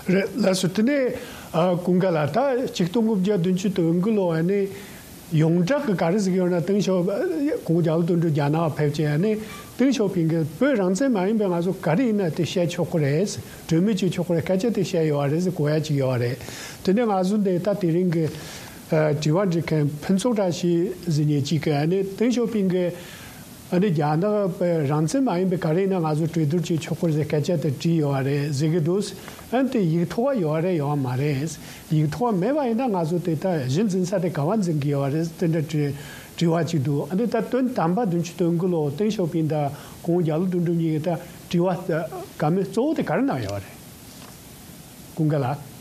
རེད་ལགས་སོ། དེ་ནས་ཨ་ཀུན་དགའ་ལགས། ད་ཆིག་སྟོང་དགུ་བརྒྱ་བདུན་ཅུ་དོན་དགུ་ལོ་ཨ་ནི་ཡོངས་གྲགས་ཀྱི་ག་རེ་ཟེར་གྱི་ཡོད་ན་ཏེང་ཞའོ་སྐུ་ངོ་རྒྱ་ལོ་དོན་གྲུབ་རྒྱ་ནག་ཕེབས་བྱས་ཨ་ནི་ཏེང་ཞའོ་ཕིང་གིས་བོད་རང་བཙན་མ་ཡིན་པའི་ང་ཚོ་ག་རེ་ཡིན་ན་དེ་བཤད་ཆོག་གི་རེད། གྲོས་མོལ་བྱེད་ཆོག་གི་རེད། སྐད་ཆ་དེ་བཤད་ཡོད་རེད་ཟེར་གོ་ཡ་ཅིག་ཡོད་རེད། དེ་ནས་ང་ཚོ་འདི་ད་དེ་རིང་གི་ཨ་དྲི་བ་འདྲི་མཁན་ཕུན་ཚོགས་བཀྲ་ཤིས་ཟེར་མཁན་ཅིག་གིས་ཨ་ནི་ཏེང་ཞའོ་ཕིང་གིས་ཨ་ནི་རྒྱ་ནག་པའི་རང་བཙན་མ་ཡིན་པའི་ག་རེ་ཡིན་ན་ང་ཚོ་གྲོས་བསྡུར་བྱེད་ཆོག་གི་རེད་ཟེར་སྐད་ཆ་དེ་དྲིས་ཡོད་རེད་ཟེར་གྱི་འདུག་ཨ་ནི་དེ་ཡིག་ཐོག་ག་ཡོད་རེད་ཡོད་མ་རེད། ཡིག་ཐོག་ག་མེད་པ་ཡིན་ན་ང་ཚོ་དེ་ད་གཞི་འཛིན་ས་དེ་ག་པར་འཛིན་གྱི་ཡོད་རེད་དེ་འདྲ་དྲི་དྲི་བ་ཅིག་འདུག་ཨ་ནི་ད་དོན་དམ་པ་བདུན་ཅུ་དོན་དགུ་ལོ་ཏེང་ཞའོ་ཕིང་དང་སྐུ་ངོ་རྒྱ་ལོ་དོན་གྲུབ་གཉིས་ཀྱིས་ད་དྲི་བ་བཀའ་མོལ་གཙོ་བོ་དེ་ག་རེ་གནང་ཡོད་རེད། ཀུན་དགའ་ལགས།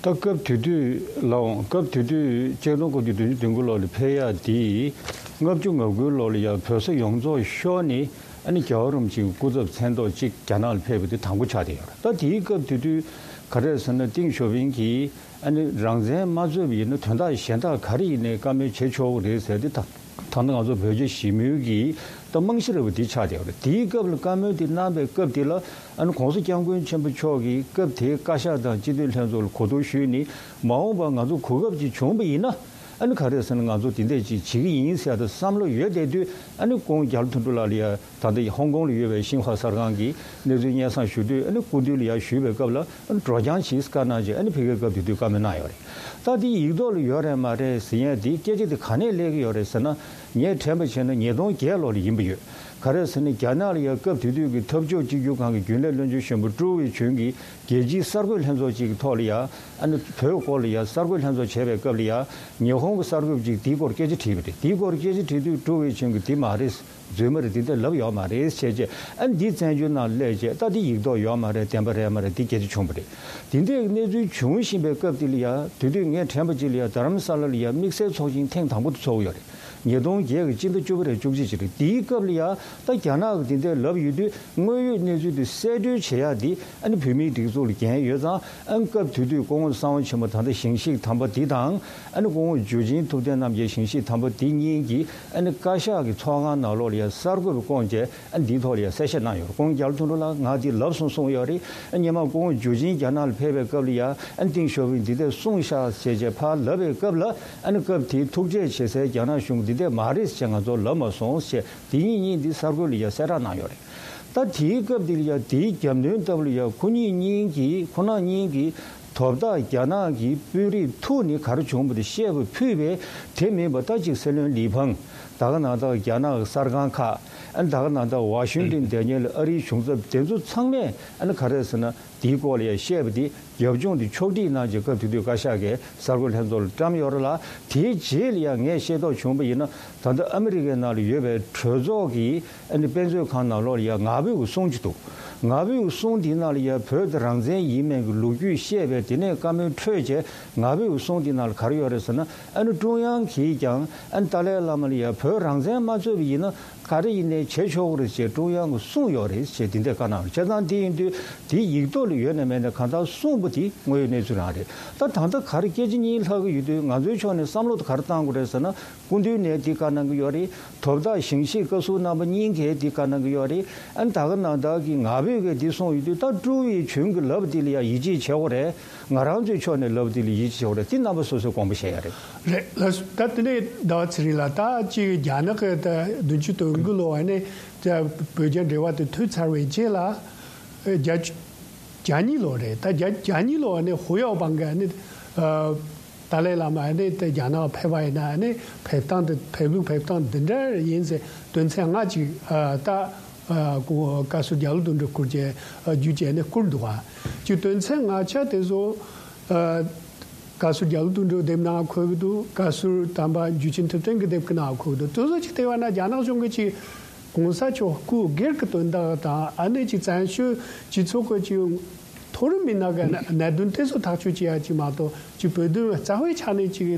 ད་སྐབས་དེ་དུས་ལའང་སྐབས་དེ་དུས་ཆིག་སྟོང་དགུ་བརྒྱ་བདུན་ཅུ་དོན་དགུ་ལོ་ལ་ཕེབས་ཡག་དེ་ལྔ་བཅུ་ང་དགུའི་ལོ་ལ་ཡ་བོད་ས་ཡོངས་རྫོགས་ཤོར་ནས་ཨ་ནི་རྒྱལ་བ་རིན་པོ་ཆེའི་སྐུ་ཚབ་མཚན་ཐོག་གཅིག་རྒྱ་ནག་ལ་ཕེབས་པ་དེ་དང་པོ་ཆགས་བསྡད་ཡོད་རེད། ད་དེའི་སྐབས་དེ་དུས་ག་རེ་ཟེར་ན་ཏེང་ཞའོ་ཕིང་གིས་ཨ་ནི་རང་བཙན་མ་རྩོད་པ་ཡིན་ན་དོན་དག་གཞན་དག་ག་རེ་ཡིན་ནའི་བཀའ་མོལ་བྱེད་ཆོག་གི་རེད་ཟེར་ཏེ་ད་ད་ལྟ་ང་ཚོ་བོད་རྒྱ་ཞི་མོལ་གྱི་ད་རྨང་གཞི་རེད་པ་དེ་ཆགས་བསྡད་ཡོད་རེད། དེའི་སྐབས་ལ་བཀའ་མོལ་དེ་གནང་པའི་སྐབས་དེ་ལ་ཨ་ནི་༸གོང་ས་༸སྐྱབས་མགོན་ཆེན་པོ་མཆོག་གིས་སྐབས་དེའི་བཀའ་ཤག་དང་སྤྱི་འཐུས་ལྷན་ཚོགས་ལ་གོ་བསྡུར་ཞུས་ནས་མ་འོངས་པར་ང་ཚོ་གོ་སྐབས་ཅིག་བྱུང་པ་ཡིན་ན་ཨ་ནི་ག་རེ་ཟེར་ན་ང་ཚོ་དེ་འདྲས་ཅིག་བྱེད་ཀྱི་ཡིན་ཟེར་ཡག་བསམ་བློ་ཡོད་བསྡད་དུས་ཨ་ནི་སྐུ་ངོ་རྒྱ་ལོ་དོན་གྲུབ་ལགས་ལ་ཡ་ད་ལྟ་ཧོང་ཀོང་ལ་ཡོད་པའི་ཤིན་ཧྭ་གསར་ཁང་གི་གནས་ཚུལ་སྙན་སེང་ཞུ་དུས་ཨ་ནི་སྐུ་མདུན་ལ་ཡ་ཞུས་པའི་སྐབས་ལ་ཨ་ནི་འགྲོ་རྐྱང་ཅིག་བཀའ་གནང་རྗེས་ཨ་ནི་ཕ་གིར་སྐབས་དེ་དུས་བཀའ་མོལ་གནང་ཡོད་རེད། ད་དེ་ཡིག་ཐོག་ལ་ཡོད་རེད་མ་རེད་ཟེར་ཡག་དེ་སྐད་ཆ་དེ་ག་ནས་སླེབས་ཀྱི་ཡོད་རེད་ཟེར་ན། ངས་དྲན་པ་བྱས་ན་ཉིས་སྟོང་བརྒྱད་ལོ་ལ་ཡིན་པ་ཡོད། ག་རེ་ཟེར་ན་རྒྱ་ནག་ལ་ཡ་སྐབས་དེ་དུས་ཀྱི་འཐབ་ཕྱོགས་གཅིག་གྱུར་ཁང་གི་རྒྱུན་ལས་བློན་ཆེན་གཞོན་པ་ཀྲུའུ་ཝེ་ཆུན་གྱིས་རྒྱལ་སྤྱིའི་གསར་འགོད་ལྷན་ཚོགས་ཅིག་གི་ཐོག་ལ་ཡ་ཨ་ནི་བོད་སྐོར་ལ་ཡ་གསར་འགོད་ལྷན་ཚོགས་བྱས་པའི་སྐབས་ལ་ཡ་ཉི་ཧོང་གི་གསར་འགོད་པ་ཅིག་དེའི་སྐོར་སྐད་ཆ་དྲིས་པ་རེད། དེའི་སྐོར་སྐད་ཆ་དྲིས་དུས་ཀྲུའུ་ཝེ་ཆུན་གྱིས་དེ་མ་རེད། རྫུན་མ་རེད། དེ་འདྲ་ལབ་ཡོད་མ་རེད་བྱས་རྗེས་ཨ་ནི་འདི་བཙན་བྱོལ་ནང་སླེབས་རྗེས་ད་འདི་ཡིག་ཐོག་ཡོད་མ་རེད། བདེན་པ་རེད་མ་རེད་འདི་སྐད་ཆ་བྱུང་བ་རེད། དེ་འདྲའི་གནས་ཚུལ་བྱུང་བཞིན་པའི་སྐབས་དེ་ལ་ཡ་དེ་དུས་ངས་དྲན་པ་ཅིག་ལ་ཡ་རྡ་རམ་ས་ལ་ལ་ཡ་དམིགས་བསལ་ཚོགས་ཆེན་ཐེངས་དང་པོ་དེ་ཚོགས་ཡོད་རེད། ཉིས་སྟོང་བརྒྱད་ཀྱི་སྤྱི་ཟླ་བཅུ་པ་རེད། བཅུ་གཅིག་ཅིག་རེད། དེའི་སྐབས་ལ་ཡ་ད་རྒྱ་ནག་གི་དེ་འདྲ་ལབ་ཡོད་དུས་དངོས་ཡོད་གནས་ཚུལ་དེ་གསལ་བཀྲོལ་བྱེད་ཡ་དེ་ཨ་ནི་བོད་མིའི་སྒྲིག་འཛུགས་ལ་འགན་ཡོད་ཙང་ཨ་ནི་སྐབས་དེ་དུས་སྐུ་ངོ་གསང་བ་ཆེན་པོ་ད་ལྟ་ཞིང་གཤེགས་དམ་པ་དེ་དང་ཨ་ནི་སྐུ་ངོ་འཇུ་ཆེན་ཐུབ་བསྟན་རྣམ་རྒྱལ་ཞིང་གཤེགས་དམ་པ་དེ་གཉིས་ཀྱིས་ཨ་ནི་བཀའ་ཤག་གི་ཚོགས་ཁང་ནང་ལོགས་ལ་ཡ་གསར་འགོད་པ་བསྐོངས་བྱས་ཨ་ནི་དེའི་ཐོག་ལ་ཡ་གསལ་བཤད་གནང་ཡོད་རེད། སྐུ་ངོ་རྒྱ་ལོ་དོན་གྲུབ་ལགས་ང་དེ་ལབ་སོང་གསུངས་ཡོད་རེད། ཨ་ནི་སྔོན་མ་སྐུ་ངོ་འཇུ་ཆེན་རྒྱ་ནག་ལ་ཕེབས་པའི་སྐབས་ལ་ཡ་ཨ་ནི་ཏེང་ཞའོ་ཕིང་འདི་འདྲ་གསུངས་ཤག་ཟེར་བྱས་ཕར་ལབ་པའི་སྐབས་ལ། ཨ་ནི་སྐབས་དེའི་ཐུག་འཕྲད་བྱེད་སའི་རྒྱ་ནག་གཞུང་འདི་འདྲས་མ་རེད་ཅེས་ང་ཚོར་ལབ་མ་སོང་ཞེས་དེ་གཉིས་གཉིས་འདི་གསར་འགོད་ལ་ཡ་གསལ་བསྒྲགས་གནང་ཡོད་རེད། ད་དེའི་སྐབས་འདི་ལ་ཡ་དེའི་རྒྱབ་མདུན་ལྟ་བུ་ལ་ཡ་ཁོ་གཉིས་གཉིས་ཀྱིས་ཁོ་རང་གཉིས་ཀྱིས་དོ་བདག་རྒྱ་ནག་གི་དཔོན་རིགས་ཐུག་ནས་ག་རེ་བྱུང་བ་དེ་བཤད་པ་ཕུད་པས། དེ་མིན་པ་ད་ཅིག་སྲིད་བློན་ལི་ཕང་། ད་ག་ནང་ད་རྒྱ་ནག་གི་གསར་ཁང་ཁག་ཨ་ནི་ད་ག་ནང་ད་ཝ་ཤིང་ཏན་བསྡད་མཁན་ལ་ཨ་རིའི་གཞུང་ཚབ་དེ་ཚོ་ཚང་མས་ཨ་ནི་ག་རེ་ཟེར་ན། དེའི་སྐོར་ལ་ཡང་བཤད་པ་དེ་རྒྱབ་ལྗོངས་དེ་ཕྱོགས་སྒྲིག་གནང་རྗེས་སྐབས་དེ་དུས་བཀའ་ཤག་གིས་གསར་འགོད་ལྷན་ཚོགས་ལ་བཀྲམ་ཡོད་རེད་ལ། དེའི་རྗེས་ལ་ཡང་ངས་ཤེས་རྟོགས་བྱུང་བ་ཡིན་ན། ད་ལྟ་ཨ་མི་རི་ཀའི་ནང་ལ་ཡོད་པའི་གྲོས་ཚོགས་ཀྱི་ཨ་ནི་དཔེ་མཛོད་ཁང་ནང་ལོགས་ལ་ཡང་ངག་དབང་གི་གསུང་ཅིག་འདུག་ངག་དབང་གི་གསུང་དེའི་ནང་ལ་ཡང་བོད་དེ་རང་བཙན་ཡིན་མིན་གྱི་ལོ་རྒྱུས་བཤད་པའི་དེ་ནས་བཀའ་མོལ་འཕྲོད་རྗེས་ངག་དབང་གི་གསུང་དེའི་ནང་ལ་ག་རེ་ཡོད་རེད་ཟེར་ན། ཨ་ནི་ཀྲུང་དབྱང་གིས་ཀྱང་ཨ་ནི་ཏཱ་ལའི་བླ་མ་ལ་ཡང་བོད་རང་བཙན་མ་རྩོད་པ་ཡིན་ན། ག་རེ་ཡིན་ནའི་བྱེད་ཆོག་གི་རེད་ཅེས་ཀྲུང་དབྱང་གིས་གསུངས་ཡོད་རེད་ཅེས་དེ་འདྲས་བཀའ་གནང་བ་རེད། བྱས་ཙང་དེ་ཡིན་དུས་དེ་ཡིག་ཐོག་ལ་ཡོད་ན་མེད་ན་གང་ལྟར་གསུངས་པ་དེ་དངོས་ཡོད་གནས་ཚུལ་རང་རེད། ད་ད་ལྟ་ག་རེ་སྐད་ཆ་གཉིས་ལྷག་གི་ཡོད་དུས་ང་ཚོའི་ཕྱོགས་ནས་བསམ་བློ་དེ་ག་རེ་བཏང་དགོས་རེད་ཟེར་ན། སྐུ་མདུན་ནས་དེ་བཀའ་གནང་གི་ཡོད་རེད། དོ་བདག་ཞིང་གཤེགས་བཀའ་ཟུར་རྣམ་པ་གཉིས་ཀས་དེ་བཀའ་གནང་གི་ཡོད་རེད། ཨ་ནི་ད་ག་ནང་བདག་གིས་ངག་དབང་གིས་དེ་གསུངས་ཡོད་དུས་ད་ཀྲུའུ་ཝེ་ཆུན་གྱིས་ལབ་པ་དེ་ལ་ཡང་ཡིད་ཆེས་བྱེད་དགོས་རེད། ང་རང་ཚོའི་ཕྱོགས་ནས་ལབ་པ་དེ་ལ་ཡིད་ཆེས་བྱེད་དགོས་རེད། དེ་རྣམ་པ་སོ་སོས་དགོངས་པ་བཞེས་ཡ་རེད། རེད་ལགས་སོ། ད་དེ་ནས་ཟླ་བ་ཚེ་རིང་ལགས། ད་ཅིག་རྒྱ་ནག་གི་ད་བདུན་ཅུ་དོན་དགུ་ལོ་ཨ་ནི་ད་བོད་རྒྱ་འབྲེལ་བ་དེ་མཐུད་ཚར་བའི་རྗེས་ལ་ཨ་བརྒྱ་བཅུ་གྱ་གཉིས་ལོ་རེད། ད་བརྒྱ་གྱ་གཉིས་ལོ་ཨ་ནི་ཧུའུ་ཡའོ་པང་གི་ཨ་ནི་ཨ་ཏཱ་ལའི་བླ་མ་ཨ་ནི་ད་རྒྱ་ནག་ཕེབས་པ་ཡིན་ན་ཨ་ནི་ཕེབས་སྟངས་དེ་ཕེབས་ལུགས་ཕེབས་སྟངས་འདི་འདྲ་ཡིན་ཟེར་དོན་ཚན་ལྔ་ཅིག་ཨ་ད་ཨ་ཁོ་བཀའ་ཟུར་རྒྱ་ལོ་དོན་གྲུབ་སྐུ་མཁྱེན་ཨ་བརྒྱུད་བྱས་ནས་བསྐུར་འདུག་ག་ཅིག་དོན་ཚན་ལྔ་ཆ་དེ་ཚོ་ཨ། བཀའ་ཟུར་རྒྱ་ལོ་དོན་གྲུབ་དེབ་ནང་འཁོད་ཀྱི་འདུག་བཀའ་ཟུར་དམ་པ་འཇུ་ཆེན་ཐུབ་བསྟན་གྱི་དེབ་ཀྱི་ནང་འཁོད་ཀྱི་འདུག་དེ་ཚོ་ཅིག་བལྟས་པ་ན་རྒྱ་ནག་གཞུང་གིས་ཅིག་གོང་ས་མཆོག་སྐུ་སྒེར་གྱི་དོན་དག་དང་ཨ་ནི་ཅིག་བཙན་བྱོལ་སྤྱི་ཚོགས་ཀྱི་ཅིག་མཐོ་རིམ་མི་སྣ་གི་གནད་དོན་དེ་ཚོ་ཐག་གཅོད་བྱེད་ཡ་ཅིག་མ་གཏོགས་ཅིག་བོད་དོན་རྩ་བའི་ཆ་ནས་ཅིག་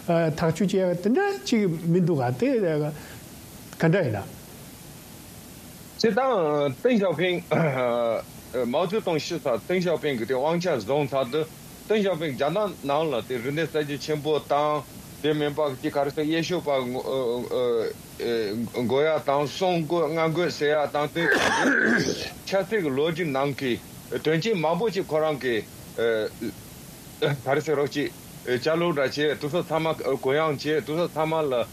ཐག་གཅོད་བྱེད་ཡ་དེ་འདྲ་ཅིག་མི་འདུག་ག་དེ་ག་འདྲ་ཡིན་ན། སྤྱིར་བཏང་ཏེང་ཞའོ་ཕིང་། མའོ་ཙེ་ཏུང་ཤི་ཚར། ཏེང་ཞའོ་ཕིང་གིས་དེ་དབང་ཆ་བཟུང་ཚར་དུས་ཏེང་ཞའོ་ཕིང་རྒྱ་ནག་ནང་ལ་དེ་རིག་གནས་གསར་བརྗེ་ཆེན་པོ་དང་དེ་མིན་པ་ཅིག་ག་རེ་ཟེར་གཡས་ཕྱོགས་པ་དགོས་ཡ་དང་གསུང་དགོས་ང་དགོས་ཟེར་ཡ་དང་དེ་ཆབ་སྲིད་ཀྱི་ལོ་རྒྱུས་ནང་གི་དོན་རྐྱེན་མང་པོ་ཅིག་ཁོ་རང་གིས་ག་རེ་ཟེར་རོགས་ཅིག་ཅ་ལག་འདྲ་བྱས་དེ་ཚོ་ཚང་མ་གུ་ཡངས་བྱས་དེ་ཚོ་ཚང་མ་ལ།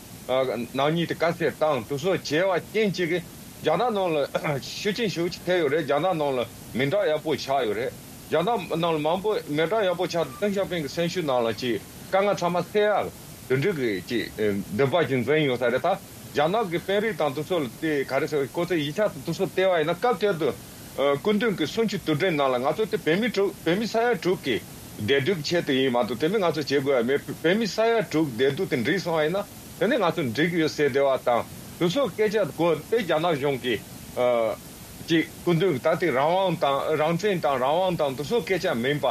ནག་ཉེས་དེ་དཀའ་སེལ་བཏང་དེ་ཚོ་བྱས་པ་རྐྱེན་གཅིག་གིས་རྒྱ་ནག་ནང་ལ་ཤུགས་རྐྱེན་ཞེ་པོ་ཅིག་ཐེབས་ཡོད་རེད། རྒྱ་ནག་ནང་ལ་མི་འདྲ་ཡག་པོ་ཆགས་ཡོད་རེད། རྒྱ་ནག་ནང་ལ་མང་པོ་མི་འདྲ་ཡག་པོ་ཆགས་དུས་ཏེང་ཞའོ་ཕིང་གི་སེམས་ཤུགས་ནང་ལ་ཅིག་དཀའ་ངལ་ཚང་མ་སེལ་ཡག་དེ་འདྲ་གི་ཅིག་འདུན་པ་ཅིག་འཛིན་ཡོད་ས་རེད། ད་རྒྱ་ནག་གི་དཔོན་རིགས་དང་དེ་ཚོ་ལ་དེ་ག་རེ་ཟེར་ཁོ་ཚོའི་ཡིག་ཆ་དང་དེ་ཚོ་བལྟས་པ་ཡིན་ན་སྐབས་དེ་དུས་སྐུ་མདུན་གྱི་གསུང་ཆོས་དུས་དྲན་ནང་ལ་ང་ཚོ་དེ་བོད་མི་དྲུག་བོད་མི་ས་ཡ་དྲུག་གི་བདེ་སྡུག་ཆེད་དུ་ཡིན་མ་གཏོགས་དེ་མིན་ང་ཚོ་བྱེད་དགོས་ཡ་མེད། བོད་མི་ས་ཡ་དྲུག་བདེ་སྡུག་དེ་འགྲིག་སོང་བ་ཡིན་ན། དེ་ནས་ང་ཚོ་འགྲིག་ཡོད་ཟེར་བསྡད་པ་དང་དེ་ཚོ་སྐད་ཆ་གོ་དེ་རྒྱ་ནག་གཞུང་གིས་ཨ་ཅིག་སྐུ་མདུན་ད་ལྟའི་རང་དབང་དང་རང་བཙན་དང་རང་དབང་དང་དེ་ཚོ་སྐད་ཆ་མིན་པ།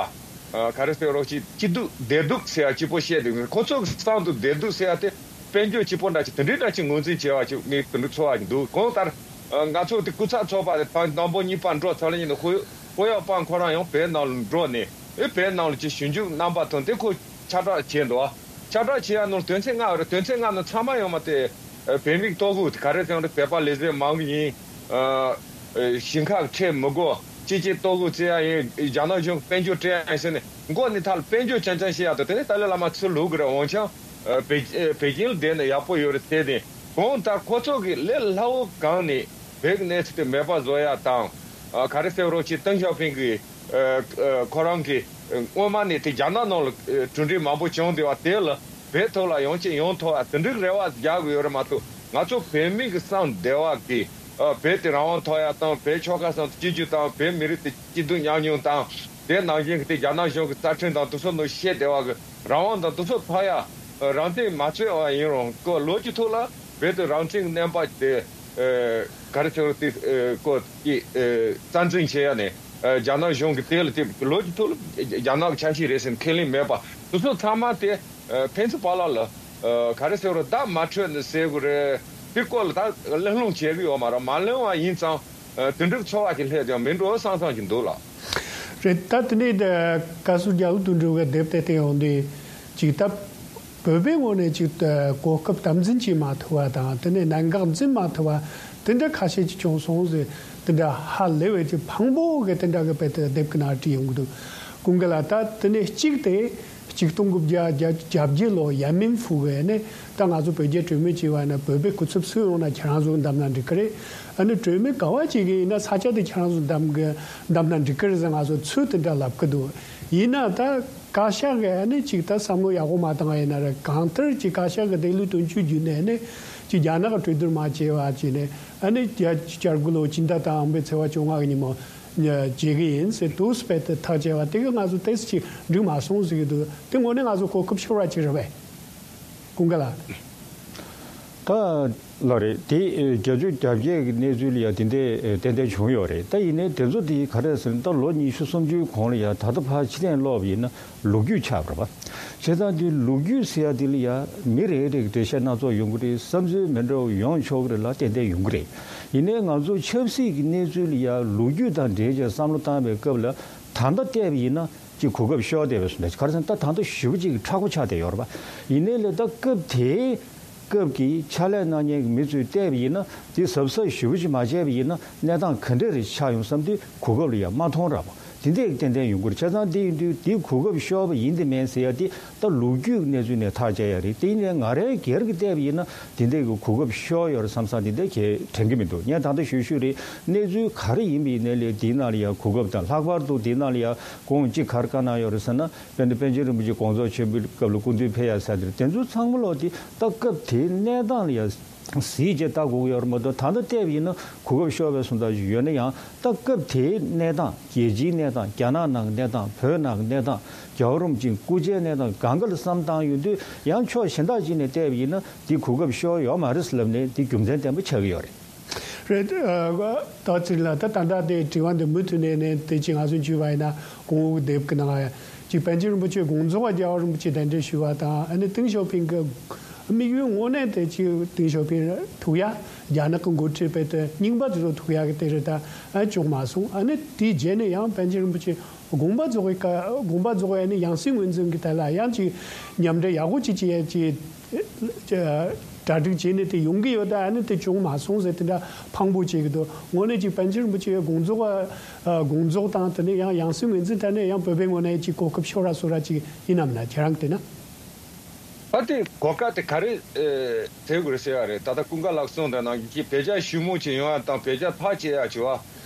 ཨ། ག་རེ་ཟེར་རོགས་ཅིག་སྐྱིད་སྡུག་བདེ་སྡུག་ཟེར་ཡ་གཅིག་པོ་བཤད་འདུག་ཁོ་ཚོ་གི་བསམ་དུ་བདེ་སྡུག་ཟེར་ཡ་དེ་དཔལ་འབྱོར་གཅིག་པོ་འདྲ་ཅིག་དེ་འདྲའི་འདྲ་ཅིག་ངོས་འཛིན་བྱས་པ་ཅིག་མི་དེ་འདྲ་ཚོར་བ་ཅིག་འདུག་གང་ལྟར། ཨ། ང་ཚོ་དེ་སྐུ་ཚབ་ཚོགས་པ་དེ་ད་དང་པོ་གཉིས་པ་འགྲོ་ཚར་ལ་ཉིན་དུ་ཁོ་ཁོ་ཡག་པ་ཁོ་རང་ཡང་བོད་ནང་ལ་འགྲོ་ནས་ཨེ་བོད་ནང་ལ་ཅིག་ཞིབ་འཇུག་རྣམ་པ་དང་དེ་ཁོ་ཁྱབ་བསྒྲགས་བྱས་འདུག་ཁྱབ་བསྒྲགས་བྱེད་ཡ་ནོར་དོན་ཚན་ལྔ་རེད། དོན་ཚན་ལྔ་ནང་ཚང་མ་ཡོང་མ་དེ། ཨ། བོད་མིའི་ལྟོ་གོས་དེ་ག་རེ་ཟེར་ན་བོད་པ་ལས་བྱེད་མང་གི་ཡིན། ཨ། ཨ། ཞིང་ཁ་ཁྲལ་མི་དགོས། སྤྱི་སྤྱོད་ལྟོ་གོས་བཙལ་ཡ་ཡིན། རྒྱ་ནག་གཞུང་དཔལ་འབྱོར་སྤྲད་ཡ་ཡིན་ཟེར་ནས་མགོ་ནས་མཐའ་ལ་དཔལ་འབྱོར་རྐྱང་རྐྱང་བཤད་ཡ་དང་དེ་ནས་ཏཱ་ལའི་བླ་མ་ཚུར་ལོག་གི་རེད། འོན་ཀྱང་། ཨ། པེ་ཨ། པེ་ཅིང་ལ་བསྡད་ནས་ཡག་པོ་ཡོད་རེད་ཟེར་ཏེ། གང་ལྟར་ཁོ་ཚོ་གི་ལས་སླ་བོ་གང་ནས་བོད་ཀྱི་གནས་ཚུལ་དེ་མེད་པ་བཟོ་ཡ་དང་། ཨ། ག་རེ་ཟེར་རོགས་ཅིག་ཏེང་ཞའོ་ཕིང་གི་ཨ། ཨ། ཁོ་རང་གིས་སྔོན་མ་ནས་དེ་རྒྱ་ནག་ནང་ལ་གྲུབ་འབྲས་མང་པོ་བྱུང་བསྡད་པ་དེ་ལ་བོད་ཐོག་ལ་ཡང་ཅིག་ཡོང་ཐུབ་པ་དེ་འདྲའི་རེ་བ་རྒྱག་གི་ཡོད་རེད་མ་གཏོགས། ང་ཚོ་བོད་མི་གི་སེམས་བདེ་བ་གི། ཨ། བོད་དེ་རང་དབང་ཐོབ་ཡ་དང་བོད་ཆོལ་ཁ་གསུམ་གཅིག་གྱུར་དང་བོད་མི་རིགས་དེ་སྐྱིད་སྡུག་མཉམ་མྱོང་དང་། དེ་ནང་བཞིན་གྱི་དེ་རྒྱ་ནག་གཞུང་གི་རྩ་ཁྲིམས་དང་དེ་ཚོ་ནང་བཤད་བསྡད་པ་གི་རང་དབང་དང་དེ་ཚོ་ཐོབ་ཡ། ཨ། རང་བཙན་མ་རྩོད་པ་ཡིན་རུང་ཁོ་ལོ་རྒྱུས་ཐོག་ལ་བོད་དེ་རང་བཙན་གྱི་བསྣན་པ་དེ། ཨ། ག་རེ་ཟེར་རོགས་དེ། ཨ། ཁོ་དེ། ཨ། རྩ་འཛིན་བྱེད་ཡ་ནས། ཨ། རྒྱ་ནག་གཞུང་གི་དེ་ལ་དེ་ལོ་རྒྱུས་ཐོག་ལ་རྒྱ་ནག་གི་ཆ་ཤས་རེད་ཟེར་ཁས་ལེན་མེད་པ་དེ་ཚོ་ཚང་མ་དེ། ཨ། ཕན་ཚུན་བར་ལ་ལ། ཨ། ག་རེ་ཟེར་རོགས་བརྡ་མ་འཕྲོད་ནས་ཟེར་དགོས་རེད། དེ་སྐོར་ལ་ད་གླེང་སློང་བྱེད་གི་ཡོད་མ་རེད། མ་གླེང་བ་ཡིན་ཙང་། ཨ། དེ་འདྲའི་ཚོར་བ་ཅིག་སླེབས་ཀྱང་མི་འགྲོ་བསམ་བསམ་ཅིག་འདུག་ལགས། རེད། ད་དེ་ནས་ད་བཀའ་ཟུར་རྒྱ་ལོ་དོན་གྲུབ་ཀྱིས་དེབ་དེ་བལྟས་ཡོང་དུས་ཅིག་ད་བོད་པའི་ངོས་ནས་ཅིག་ད་གོ་སྐབས་དམ་འཛིན་བྱེད་མ་ཐུབ་པ་དང་དེ་ནས་གནད་འགག་འཛིན་མ་ཐུབ་པ་དེ་འདྲ་ཁ་ཤས་ཅིག་བྱུང་སོང་ཟེར། དེ་འདྲ་ཧ་ལས་པའི་ཅིག་ཕངས་པོ་གི་དེ་འདྲ་གི་དཔེ་དེ་དེབ་ཀྱི་ནང་བྲིས་ཡོང་གི་འདུག་ཀུན་དགའ་ལགས། ད་དེ་ནས་གཅིག་དེ་ཆིག་སྟོང་དགུ་བརྒྱ་བརྒྱད་ཅུ་གྱ་བརྒྱད་ལོ་ཡན་མིན་ཧྥུ་གི་ནས་ད་ང་ཚོ་བོད་རྒྱ་གྲོས་མོལ་བྱས་པ་ཡིན་ན་བོད་པའི་སྐུ་ཚབ་སུ་ཡོང་ན་ཁྱེད་རང་ཚོ་བདམས་ན་འགྲིག་གི་རེད། ཨ་ནི་གྲོས་མོལ་ག་བ་བྱེད་ཀྱི་ཡིན་ན་ས་ཆ་དེ་ཁྱེད་རང་ཚོ་བདམས་གི་བདམས་ན་འགྲིག་གི་རེད་ཟེར་ང་ཚོ་ཚུལ་དེ་འདྲ་ལབ་གི་འདུག་ཡིན་ན་ད་བཀའ་ཤག་གི་ཨ་ནི་ཅིག་ད་བསམ་བློ་ཡག་པོ་མ་བཏང་བ་ཡིན་ན་རེད། གང་ལྟར་ཅིག་བཀའ་ཤག་གི་བདེ་ལུགས་དོན་གཅོད་བརྒྱུད་ནས་ཨ་ནི་ཅིག་རྒྱ་ནག་གི་གྲོས་བསྡུར་མ་བྱས་པ་བྱས་ནས་ཨ་ནི་བརྒྱད་ཅུ་གྱ་དགུ་ལོ་སྤྱི་ཟླ་དང་པོའི་ཚེས་པ་བཅོ་ལྔ་གི་ཉིན་མོ་བྱེད་གི་ཡིན་ཟེར་དུས་སྤེལ་དུ་ཐག་བཅད་པ་དེ་གི་ང་ཚོ་ཏོག་ཙམ་ཅིག་འགྲིག་མ་སོང་ཟེར་གི་འདུག་དེ་དངོས་གནས་ང་ཚོ་གོ་སྐབས་ཤོར་བ་ཅིག་རེད་པས། ཀུན་དགའ་ལགས། ད་ལགས་རེད། དེ་བརྒྱད་ཅུ་གྱ་བརྒྱད་ཀྱི་གནས་ཚུལ་ལ་ཡང་དེ་འདྲས་ཏན་ཏན་བྱུང་ཡོད་རེད། ད་ཡིན་ནའི་དེ་ཚོ་དེ་ག་རེ་ཟེར་ན་ད་ལོ་ཉི་ཤུ་སུམ་ཅུའི་གོང་ལ་ཡང་ད་ལྟ་ཕར་ཕྱིར་ལྟ་ལོག་པ་ཡིན་ན་ལོ་རྒྱུས་ཆགས་པ་རེད་པ། བྱས་ཙང་དེ་ལོ་རྒྱུས་ཟེར་ཡ་དེ་ལ་ཡང་མི་རེ་རེ་གི་འགྲེལ་བཤད་སྣ་ཚོགས་ཡོང་གི་རེད། བསམ་ཚུལ་མི་འདྲ་བ་ཡོང་ཆོག་གི་རེད་ལ་ཏན་ཏན་ཡོང་གི་རེད། ཡིན་ནའི་ང་ཚོ་ཆབ་སྲིད་ཀྱི་གནས་ཚུལ་ལ་ཡང་ལོ་རྒྱུས་དང་འབྲེལ་བྱས་བསམ་བློ་བཏང་བའི་སྐབས་ལ་ད་ལྟ་བལྟས་པ་ཡིན་ན། ཅིག་གོ་སྐབས་ཤོར་བསྡད་པའི་བཟོ་འདྲ་ཅིག་ག་རེ་ཟེར་ན་ད་ད་ལྟ་ཞེ་པོ་ཅིག་མཁྲེགས་པོ་ཆགས་བསྡད་ཡོད་རེད་པ། ཡིན་ནའི་ལས་ད་སྐབས་དེའི་སྐབས་ཀྱི་ཕྱག་ལས་གནང་མཁན་གྱི་མི་ཚོས་བལྟས་པ་ཡིན་ན་དེ་གཟབ་གཟབ་ཞེ་པོ་ཅིག་མ་བྱས་པ་ཡིན་ན་གནས་སྟངས་ག་འདྲས་རེ་ཆགས་ཡོང་བསམ་དུས་གོ་སྐབས་ལ་ཡང་མ་མཐོང་ར་པོ་དེ་འདྲས་ཏན་ཏན་ཡོང་གི་རེད། བྱས་ཙང་དེ་ཡིན་དུས་དེ་གོ་སྐབས་ཤོར་བ་ཡིན་དེ་མིན་ཟེར་ཡ་དེ་ད་ལོ་རྒྱུས་ཀྱི་གནས་ཚུལ་ནས་ཐག་བཅད་ཡ་རེད། དེ་ཡིན་ནའི་ང་རའི་སྒེར་གྱི་བལྟས་པ་ཡིན་ན་དེ་འདྲས་ཀྱི་གོ་སྐབས་ཤོར་ཡོད་རེད་བསམ་བསམ་དེ་འདྲས་གས་དྲན་གྱི་མི་འདུག་ངས་ད་ལྟ་ཞུ་ཞུ་རེད། གནས་ཚུལ་ག་རེ་ཡིན་པ་ཡིན་ནའི་ལས་དེའི་ནང་ལ་ཡང་གོ་སྐབས་དང་ལྷག་པར་དུ་དེའི་ནང་ལ་ཡང་གོང་གཅིག་གར་བཀའ་གནང་ཡོད་རེད་ཟེར་ན་དཔེར་ན་པཎ་ཆེན་རིན་པོ་ཆེ་དགོངས་རྫོགས་ཆེན་པོའི་སྐབས་ལ་སྐུ་མདུན་ཕེབས་ཡ་ཟེར་དེ་དེ་ཚོ་ཚང་མ་ལོག་དེ་ད་སྐབས་དེའི་གནས་སྟངས་ལ་ཡང་གཟིགས་བྱས་ལྟ་དགོས་ཀྱི་ཡོད་རེད་མ་གཏོགས་ད་ལྟ་བལྟས་པ་ཡིན་ན་གོ་སྐབས་ཤོར་བའི་བཟོ་འདྲ་ཞིག་ཡོད་ན་ཡང་ད་སྐབས་དེའི་གནས་སྟངས་རྒྱལ་སྤྱིའི་གནས་སྟངས་རྒྱ་ནག་ནང་གི་གནས་སྟངས་བོད་ནང་གི་གནས་སྟངས་རྒྱལ་བ་རིན་པོ་ཆེའི་སྐུ་ཕྱྭའི་གནས་སྟངས་གང་ག་ལ་བསམ་བཏང་ཡོང་དུས་ཡང་ཕྱོགས་གཞན་དག་ཅིག་ནས་བལྟས་པ་ཡིན་ན་དེ་གོ་སྐབས་ཤོར་ཡོད་མ་རེད་ཟེར་ལབ་ནས་དེ་རྒྱུ་མཚན་ལྡན་པ་ཆགས་ཀྱི་ཡོད་རེད། རེད། ད་ཚིག་ལ་ད་ད་ལྟ་དེ་དྲི་བ་འདི་མུ་མཐུད་ནས་ནས་དེ་ཅིག་ང་ཚོ་འཇུས་པ་ཡིན་ན་གོང་འོག་དེབ་ཀྱི་ནང་ཅིག་པཎ་ཆེན་རིན་པོ་ཆེ་དགོངས་རྫོགས་རྒྱལ་བ་རིན་པོ་ཆེ་གདན་འདྲེན་ཞུས་པ་དང་ཨ་ནི་ཏེང་ཞའོ་ཕིང་གི་དམིགས་ཡུལ་དངོས་གནས་དེ་ཅིག་ཏེང་ཞའོ་ཕིང་ཐུག་ཡ་རྒྱ་ནག་གི་འགོ་ཁྲིད་པའི་དེ་རྙིང་པ་དེ་ཚོ་ཐུག་ཡ་གི་དེ་རེད། ད་ཨ་བྱུང་མ་སོང་། ཨ་ནི་དེའི་རྗེས་ནས་ཡང་པཎ་ཆེན་རིན་པོ་ཆེ་དགོངས་པ་རྫོགས་པའི་སྐབས་དགོངས་པ་རྫོགས་པའི་ཨ་ནི་ཡང་སྲིད་ངོས་འཛིན་གྱི་དེ་ལ་ཡང་ཅིག་མཉམ་འབྲེལ་ཡག་པོ་ཅིག་བྱེད་ཡ་ཅིག་གྲ་སྒྲིག་བྱས་ནས་དེ་ཡོང་གི་ཡོད། ད་ཨ་ནི་དེ་བྱུང་མ་སོང་ཟེར་དེ་འདྲ་ཕངས་པོ་བྱེད་ཀྱི་འདུག་དངོས་གནས་ཅིག་པཎ་ཆེན་རིན་པོ་ཆེའི་དགོངས་རྫོགས་ཨ་དགོངས་རྫོགས་དང་དེ་ནས་ཡང་ཡང་སྲིད་ངོས་འཛིན་ཐད་ནས་ཡང་བོད་པའི་ངོས་ནས་ཅིག་གོ་སྐབས་ཤོར་ར་སོ་ར་ཅིག་ཡིན་ནམ་ན་ཁྱེད་རང་གི་བལྟས་ན། ཨ་དེ་གོ་སྐབས་དེ་ག་རེ་ཨེ་ཟེར་དགོས་རེད་ཟེར་བ་རེད། ད་ལྟ་ཀུན་དགའ་ལགས་གསུངས་དང་ནང་བཞིན་བོད་རྒྱ་ཞི་མོལ་ཅིག་ཡོང་ཡ་དང་བོད་རྒྱ་ཐག་བཅད་ཡ་བྱེད་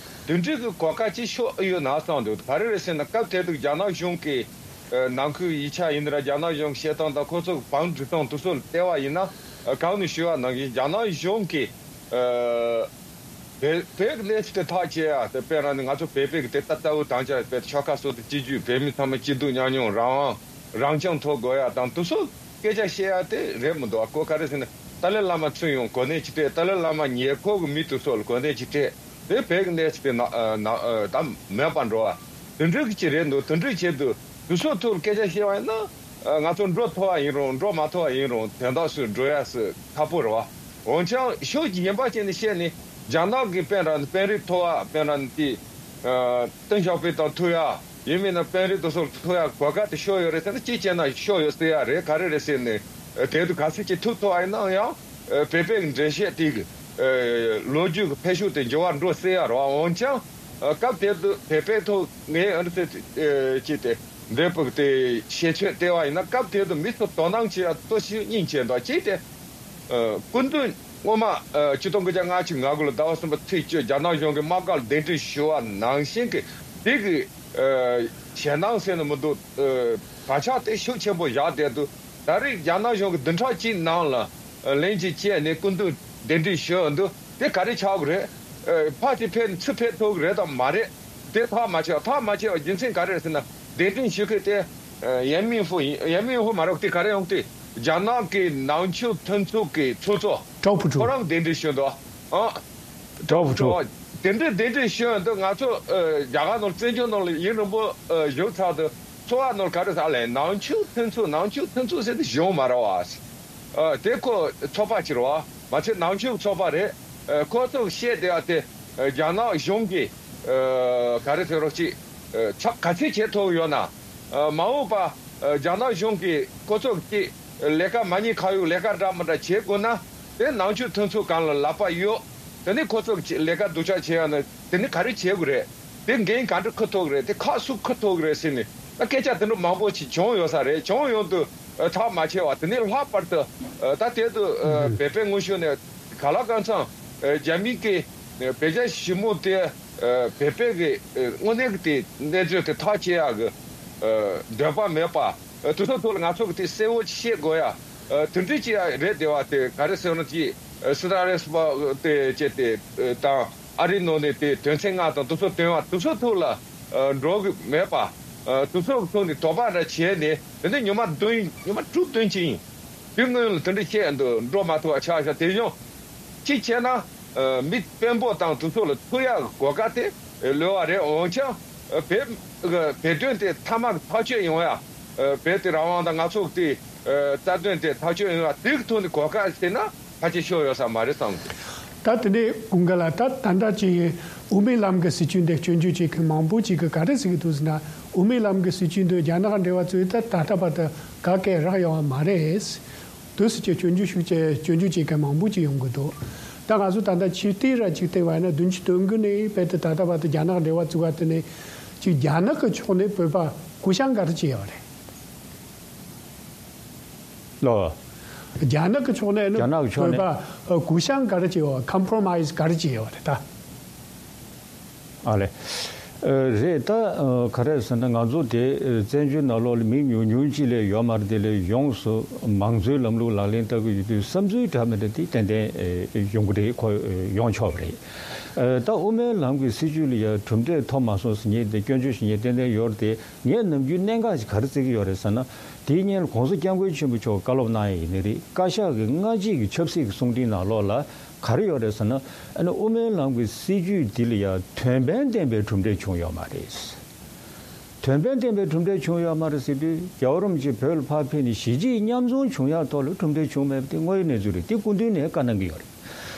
པ་དེ་འདྲའི་གི་གོ་སྐབས་ཅིག་ཤོར་ཨེ་ཡོད་ན་བསམ་འདུག་ག་རེ་རེད་ཟེར་ན་སྐབས་དེ་དུས་རྒྱ་ནག་གཞུང་གི་ནང་ཁུལ་ཡིག་ཆ་ཡིན་ན་ར་རྒྱ་ནག་གཞུང་གི་བཤད་སྟངས་དང་ཁོ་ཚོ་གི་བང་སྒྲིག་སྟངས་དེ་ཚོ་ལ་བལྟས་པ་ཡིན་ན། གང་ནས་ཞུས་པ་ནང་བཞིན་རྒྱ་ནག་གཞུང་གིས་བོད་བོད་ཀྱི་གནས་ཚུལ་དེ་ཐག་བཅད་ཡ་དེ་དཔེར་ན་ནི་ང་ཚོ་བོད་པའི་གི་དེ་ལྟ་ལྟ་བུ་དང་ཆ་བོད་ཆོལ་ཁ་སོ་སོ་གཅིག་གྱུར་བོད་མི་ཚང་མ་སྐྱིད་སྡུག་མཉམ་མྱོང་རང་དབང་རང་སྐྱོང་ཐོབ་དགོས་ཡ་དང་དེ་ཚོ་སྐད་ཆ་བཤད་ཡ་དེ་རེད་མི་འདུག་གོ་ག་རེ་ཟེར་ན་ཏཱ་ལའི་བླ་མ་ཚུར་ཡོང་གོ་གནས་ཅིག་སྤྲད། ཏཱ་ལའི་བླ་མ་ཉེ་འཁོར་གི་མི་དེ་ཚོ་ལ་གོ་གནས་ཅིག་སྤྲད། དེ་བོད་ཀྱི་གནས་ཚུལ་དེ་ན་ན་ད་མེད་པ་འགྲོ་བ་དེ་འདྲའི་གི་ཅིག་རེད་འདུག་དེ་འདྲའི་ཆེད་དུ་ དུས་ཚོད་ཐོག་སྐད་ཆ་བཤད་པ་ཡིན་ན། ང་ཚོ་འགྲོ་ཐུབ་པ་ཡིན་རུང་འགྲོ་མ་ཐུབ་པ་ཡིན་རུང་དོན་དག་སུ་འགྲོ་ཡ་སུ་ཁག་པོ་རེད་བ། འོན་ཀྱང་ཕྱོགས་གཞན་པ་ཅན་ནས་བཤད་ནས་རྒྱ་ནག་གི་དཔོན་ར་ནི་དཔོན་རིགས་མཐོ་བ་དཔོན་ར་ནི་དེ། ཏེང་ཞའོ་ཕིང་དང་ཐུག་ཡ། ཡིན་མིན་ན་དཔོན་རིགས་དེ་ཚོར་ཐུག་ཡ་གོ་སྐབས་དེ་ཤོར་ཡོད་རེད་ཟེར་ན་གཅིག་བྱས་ན་ཤོར་ཡོད་ཟེར་ཡ་རེད། ག་རེ་རེད་ཟེར་ནས་དེ་དུས་ག་ཚོད་ཅིག་ཐུག་ཐུབ་པ་ཡིན་ན་ཡང་བོད་པའི་འགྲེལ་བཤད་དེ་གི་ལོ་རྒྱུས་ཀྱི་འཕེལ་ཕྱོགས་དེ་འགྱུར་བ་འགྲོ་སྲིད་ཡ་རེད་བ། འོན་ཀྱང་སྐབས་དེ་དུས་བོད་པའི་ཐོག་ངས་ཨ་ནི་ཟེར་ཅིག་དེ་འདས་པོ་དེ་ཤེས་ཚོད་བལྟས་པ་ཡིན་ན་སྐབས་དེ་དུས་མི་ཚོ་དོ་སྣང་བྱེད་ཡ་ཏོག་ཙམ་སྙིང་རྗེ་འདུག་ཅིག་དེ། སྐུ་མདུན་སྔོན་མ་ཆིག་སྟོང་དགུ་བརྒྱ་ལྔ་བཅུ་ང་དགུ་ལོ་ཟླ་བ་གསུམ་པ་ཚེས་བཅུ་རྒྱ་ནག་གཞུང་གི་དམག་སྒར་གདན་འདྲེན་ཞུ་བ་ནང་བཞིན་གྱི་དེ་གི་ཞེད་སྣང་ཟེར་ན་མི་འདུག་བག་ཆགས་དེ་ཤུགས་ཆེན་པོ་བཞག་བསྡད་འདུག་ད་རེས་རྒྱ་ནག་གཞུང་གི་བདུན་ཕྲག་གཅིག་ནང་ལ་ལན་གཅིག་བྱས་ནས་སྐུ་མདུན་གདན་འདྲེན་ཞུ་འདུག་དེ་ག་རེ་ཆགས་ཀྱི་རེད། ཕར་ཅིག་ཕེབས་ནས་ཚུར་ཕེབས་ཐུབ་ཀྱི་རེད་དམ་མ་རེད། དེ་ཐག་མ་ཆོད་ཐག་མ་ཆོད་པ་རྒྱུ་མཚན་ག་རེ་རེད་ཟེར་ན་གདན་འདྲེན་ཞུ་མཁན་དེ་ཡན་མིན་ཧྥུ་ཡིན། ཡན་མིན་ཧྥུ་མ་རེད་དེ་ག་རེ་ཡོང་དེ་རྒྱ་ནག་གི་ནང་ཆོས་མཐུན་ཚོགས་ཀྱི་ཚོགས་གཙོ་ཀྲའོ་ཕུ་ཁོ་ཁྲུའུ། རང་གདན་འདྲེན་ཞུ་འདུག་ཨ། ཀྲའོ་ཕུ་ཁྲུའུ། དེ་འདྲའི་གདན་འདྲེན་ཞུ་འདུག་ང་ཚོ་རྒྱ་གར་ནང་བཙན་བྱོལ་ནང་ལ་ཡུན་རིང་པོ་བཞུགས་ཚར་དུས་ཚོ་བ་ནང་ག་རེ་ཟེར་ལས་ནང་ཆོས་མཐུན་ཚོགས་ནང་ཆོས་མཐུན་ཚོགས་ཟེར་དེ་བྱུང་མ་རེད་བ། དེ་ཁོ་ཚོགས་པ་ཅིག་རེད་བ། མ་ཚད་ནང་ཆོས་ཚོགས་པ་རེད། ཁོ་ཚོ་བཤད་བསྡད་ཡ་དེ་རྒྱ་ནག་གཞུང་གིས་ག་རེ་ཟེར་རོགས་ཅིག་ཚབ་ག་ཚད་བྱེད་ཐུབ་ཡོད་ན། མ་འོངས་པ་རྒྱ་ནག་གཞུང་གིས་ཁོ་ཚོ་གཅིག་ལས་ཀ་མ་ཉེས་ཁ་གཡོགས་ལས་ཀ་འདྲ་མི་འདྲ་བྱེད་དགོས་ན་དེ་ནང་ཆོས་མཐུན་ཚོགས་སྒང་ལ་ལག་པ་གཡོག་དེ་ནས་ཁོ་ཚོ་གཅིག་ལས་ཀ་སྡུག་ཅག་བྱེད་ཡ་ན་དེ་ནས་ག་རེ་བྱེད་དགོས་རེད། དེ་འགན་ག་འདྲ་འཁུར་ཐུབ་ཀྱི་རེད། དེ་ཁག་སུ་འཁུར་ཐུབ་ཀྱི་རེད་ཟེར་ནས་ད་སྐད་ཆ་དེ་འདྲ་མང་པོ་ཞིག་བྱུང་ཡོད་ས་རེད། བྱུང་ཡོང་དུས་ཐག་མ་ཆད་པ་དེ་ནས་ལྷག་པར་དུ་ད་དེ་དུས་བོད་པའི་དངོས་ཤུགས་ནས་ག་ལ་གང་འཚམ་རྒྱ་མི་གི་བོད་རྒྱ་ཞི་མོལ་དེ་བོད་པའི་གི་དངོས་གནས་ཀྱི་དེ་གནས་ཚུལ་དེ་ཐག་བཅད་ཡག་གི་འདོད་པ་མེད་པ་དེ་ཚོ་ཐོག་ལ་ང་ཚོ་གི་དེ་གསལ་བོ་བཤད་དགོས་ཡ་དེ་འདྲ་ཅིག་ཡ་རེད། དེ་བ་དེ་ག་རེ་ཟེར་ན་ཅིག་སི་ཏཱ་རེས་པ་དེ་བྱས་ཏེ་དང་། ཨ་རིའི་ནང་ནས་དེ་དོན་ཚན་ལྔ་དང་དེ་ཚོ་དོན་བ་དེ་ཚོ་ཐོག་ལ་འགྲོ་གི་མེད་པ། དེ་ཚོ་ཐོག་ནས་དོགས་པ་འདྲ་བྱས་ནས་དེ་ནས་ཉི་མ་བདུན་ཉི་མ་དྲུག་བདུན་ཅིག་ཡིན། དེ་སྔོན་ལ་དེ་འདྲ་བཤད་འདུག་འགྲོ་མ་ཐུབ་པ་ཆགས་ཤག་དེ་བཞིན་གཅིག་བྱས་ན་མི་དཔོན་པོ་དང་དེ་ཚོ་ལ་ཐུག་ཡག་གོ་སྐབས་དེ་ལོས་པ་རེད། འོན་ཀྱང་བོད་བོད་དོན་དེ་མཐའ་མ་གི་ཐག་གཅོད་ཡོང་ཡ། བོད་དེ་རང་དབང་དང་ང་ཚོ་དེ་རྩ་དོན་དེ་ཐག་གཅོད་ཡོང་བ་དེ་གི་ཐོག་ནས་གོ་སྐབས་ཟེར་ན་ཕལ་ཆེར་ཤོར་ཡོད་ས་མ་རེད་བསམ་གི། ད་དེ་ནས་ཀུན་དགའ་ལགས་ད་ད་ལྟ་ཅིག་དབུ་མའི་ལམ་གྱི་སྲིད་བྱུས་འདི་སྐྱོན་བརྗོད་བྱེད་མཁན་མང་པོ་ཅིག་གིས་ག་རེ་ཟེར་གི་འདུག་ཟེར་ན་དབུ་མའི་ལམ་གྱི་སྲིད་བྱུས་འདི་རྒྱ་ནག་འབྲེལ་བ་བཙུགས་ད་ད་ལྟ་བར་དུ་ག་གེ་རག་ཡོང་བ་མ་རེད། དུས་སུ་ཅིག་སྐྱོན་བརྗོད་ཤུགས་ཆེ་སྐྱོན་བརྗོད་བྱེད་མཁན་མང་པོ་ཅིག་ཡོང་གི་འདུག་ད་ང་ཚོ་ད་ལྟ་ཕྱི་ལྟས་ར་ཅིག་བལྟས་པ་ཡིན་ན་བདུན་ཅུ་དོན་དགུ་ནས་བལ་ཏེ་ད་ལྟ་བར་དུ་རྒྱ་ནག་འབྲེལ་བ་བཙུགས་པ་དེ་ནས་ཅིག་རྒྱ་ནག་གི་ཕྱོགས་ནས་བོད་པ་གུ་བཤངས་ག་རེ་བྱས་ཡོད་རེད། ལོ། རྒྱ་ནག་གི་ཕྱོགས་ནས་ནི་རྒྱ་ནག་གི་ཕྱོགས་ནས་བོད་པ་གུ་བཤངས་ག་རེ་བྱས་ཡོད། ཀམ་པོ་རོ་མའི་ཛི་ག་རེ་བྱས་ཡོད་རེད་ད། ཨ་ལེ། རེད་ད། ག་རེ་ཟེར་ན་ང་ཚོ་དེ་བཙན་བྱོལ་ནང་ལོགས་ལ་མི་ཉུང་ཉུང་ཅིག་ལས་ཡོད་མ་རེད། དེ་ལས་ཡོངས་སུ་མང་གཙོའི་ལམ་ལུགས་ལག་ལེན་བསྟར་གྱི་ཡོད་དུས་བསམ་ཚུལ་འདྲ་མི་འདྲ་དེ་ཏན་ཏན་ཡོང་གི་རེད། ཁོ་ཡོང་ཆོག་པ་རེད། ད་དབུ་མའི་ལམ་གྱི་སྲིད་བྱུས་ལ་ཡང་གྲུབ་འབྲས་ཐོབ་མ་སོང་ཟེར་མཁན་དེ་སྐྱོན་བརྗོད་བྱེད་མཁན་ཏན་ཏན་ཡོད་རེད་དེ། ངས་ནམ་རྒྱུན་གནད་འགག་ཅིག་ག་རེ་བརྩི་གི་ཡོད་རེད་ཟེར་ན། དེའི་སྔོན་ལ་༸གོང་ས་༸སྐྱབས་མགོན་ཆེན་པོ་མཆོག་བཀའ་སློབ་གནང་ཡ་ཡིན་ནི་རེད། བཀའ་ཤག་གི་སྔ་རྗེས་ཀྱི་ཆབ་སྲིད་ཀྱི་གསུང་འཕྲིན་ནང་ལོགས་ལ་ག་རེ་ཡོད་རེད་ཟེར་ན། ཨ་ནི་དབུ་མའི་ལམ་གྱི་སྲིད་བྱུས་འདི་ལ་ཡང་དོན་ཕན་ལྡན་པའི་གྲུབ་འབྲས་བྱུང་ཡོད་མ་རེད། དོན་ཕན་ལྡན་པའི་གྲུབ་འབྲས་བྱུང་ཡོད་མ་རེད་ཟེར་དུས་རྒྱལ་བ་རིན་པོ་ཆེ་བོད་ལ་ཕར་ཕེབས་ནས་གཞིས་བྱེས་མཉམ་འཛོམས་བྱུང་ཡག་ཐོག་ལ་གྲུབ་འབྲས་བྱུང་མེད་པ་དེ་དངོས་ཡོད་གནས་ཚུལ་རེད། དེ་སྐུ་མདུན་ནས་བཀའ་གནང་གི་ཡོད་རེད།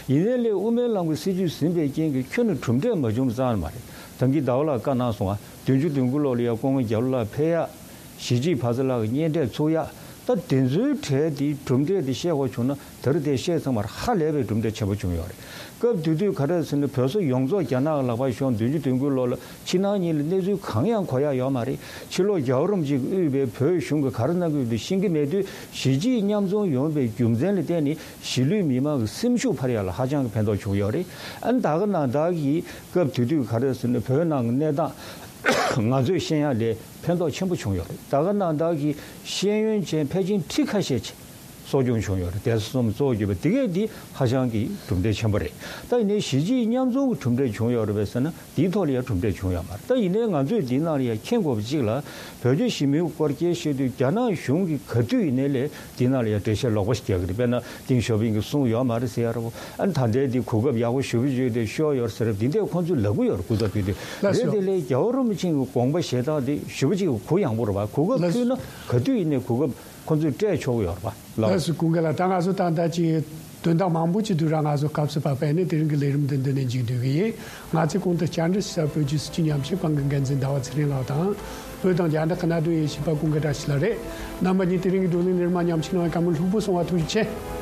ཡིན་ནའི་ལས་དབུ་མའི་ལམ་གྱི་སྲིད་བྱུས་ཟིན་པའི་རྐྱེན་གྱིས་ཁྱོན་ནས་གྲུབ་འབྲས་མ་བྱུང་བ་ཙམ་མ་རེད། ད་གིན་ཟླ་བ་ལགས་བཀའ་གནང་སོང་ང་། བདུན་ཅུ་དོན་དགུ་ལོ་ལ་ཡ་སྐུ་ངོ་རྒྱ་ལོ་ལགས་ཕེབས་ཡ། གཞིས་བྱེས་བར་མཚམས་ལ་གཉེན་འཕྲད་ཚུགས་ཡ། ད་དེ་ཚོའི་གྲས་དེའི་གྲུབ་འབྲས་དེ་བཤད་དགོས་བྱུང་ན་ད་རེས་དེ་བཤད་ཚང་མར་ཧ་ལས་པའི་གྲུབ་འབྲས་ཆེན་པོ་བྱུང་ཡོད་རེད། སྐབས་དེ་དུས་ག་རེ་ཟེར་ན་བོད་སོག་ཡོངས་རྫོགས་རྒྱ་ནག་གི་ལག་པར་ཤོར། བདུན་ཅུ་དོན་དགུ་ལོ་ལ་ཕྱི་ནང་གཉིས་ལ་གནས་ཚུལ་གང་ཡང་གོ་ཡ་ཡོད་མ་རེད། ཕྱི་ལོགས་རྒྱལ་བ་རིན་པོ་ཆེ་གིས་དབུས་པའི་བོད་གཞུང་གིས་ག་རེ་གནང་གི་ཡོད་དེ་ཤེས་ཀྱི་མེད་དུས་གཞིས་བྱེས་མཉམ་འཛོམས་ཡོང་བའི་རྒྱུ་མཚན་ལ་བརྟེན་ནས་གཞིས་ལུས་མི་མང་གི་སེམས་ཤུགས་འཕར་ཡ་ལ་ཧ་ཅང་གི་ཕན་ཐོགས་བྱུང་ཡོད་རེད། ཨ་ནི་ད་ག་ནང་བདག་གིས་སྐབས་དེ་དུས་ག་རེ་ཟེར་ན་བོད་ནང་གི་གནས་སྟངས་ང་ཚོས་ཤེས་ཡ་ལས་ཕན་ཐོགས་ཆེན་པོ་བྱུང་ཡོད་རེད། ད་ག་ནང་བདག་གིས་ཤེས་ཡོན་ཅན་ཕལ་ཆེར་ཁྲི་ཁ་ཤས་ཅིག་ གསོ་སྐྱོང་བྱུང་ཡོད་རེད། བསྡད་ས་གསུམ་གཙོ་བོ་གྱུར་པ་དེ་གས་དེ་ཧ་ཅང་གི་གྲུབ་འབྲས་ཆེན་པོ་རེད། ད་ཡིན་ནའི་གཞིས་བྱེས་མཉམ་འཛོམས་ཀྱི་གྲུབ་འབྲས་བྱུང་ཡོད་རེད་པས་ཟེར་ན། དེའི་ཐོག་ལ་ཡང་གྲུབ་འབྲས་བྱུང་ཡོད་མ་རེད། ད་ཡིན་ནའི་ང་ཚོས་འདི་ནང་ལ་ཡང་མཁྱེན་དགོས་པ་གཅིག་ལ། བོད་རྒྱ་ཞི་མོལ་སྐོར་སྐད་བཤད་དུས་རྒྱ་ནག་གཞུང་གིས་ག་དུས་ཡིན་ནའི་ལས་འདི་ནང་ལ་ཡང་འགྲེལ་བཤད་ལོག་པ་ཞིག་རྒྱག་གི་རེད། དཔེར་ན་ཏིང་ཞའོ་ཕིང་གིས་གསུངས་ཡོད་མ་རེད་ཟེར་ཡ་རེད་བོ། ཨ་ནི་ད་ལྟའི་འདི་གོ་སྐབས་ཡག་པོ་ཞེ་པོ་ཅིག་དེ་ཤོར་ཡོད་རེད་ཟེར་རབས་འདི་འདྲས་ཁོང་ཚོས་ལབ་གི་ཡོད་རེད། སྐུ་ཚབ་ཕེབས་དུས་ལགས་རེད། སོ། དེ་ལས་རྒྱལ་བ་རིན་པོ་ཆེ་གི་དགོངས་པ་བཞེས་སྟངས་དེ་ཞེ་པོ་ཅིག་གུ་ཡངས་པོ་རེད་བ། གོ་སྐབས་ལགས་སོ། ཐོན་ན་ག་དུས་ཡིན་ནའི་གོ་སྐབས་ཁོང་ཚོས་སྤྲད་ཆོག་གི་ཡོད་རེད་བ། ལགས་སོ། ཀུན་དགའ་ལགས། ད་ང་ཚོ་ད་ལྟ་ཅིག་དོན་དག་མང་པོ་ཅིག་འདུག་ར། ང་ཚོ་སྐབས་སུ་བབས་པས་ནི་དེ་རིང་གི་ལས་རིམ་འདི་འདི་ནས་མཇུག་བསྡུ་གི་ཡིན། ང་ཚོས་གོང་དུ་བཅར་འདྲི་ཞུས་པ་བོད་ཀྱི་སྲིད་བྱུས་ཉམས་ཞིབ་ཁང་གི་འགན་འཛིན་ཟླ་བ་ཚེ་རིང་ལགས་དང་། བོད་དང་རྒྱ་འབྲེལ་གནད་དོན་དབྱེ་ཞིབ་པ་ཀུན་དགའ་བཀྲ་ཤིས་ལགས་རེད། རྣམ་པ་གཉིས་དེ་རིང་གི་བགྲོ་གླེང་ལས་རིམ་མ་ཉམས་ཞིབ་གནང་བའི་བཀའ་མོལ་ལྷུག་པོ་གསུང་བ་ཐུགས་རྗེ་ཆེ།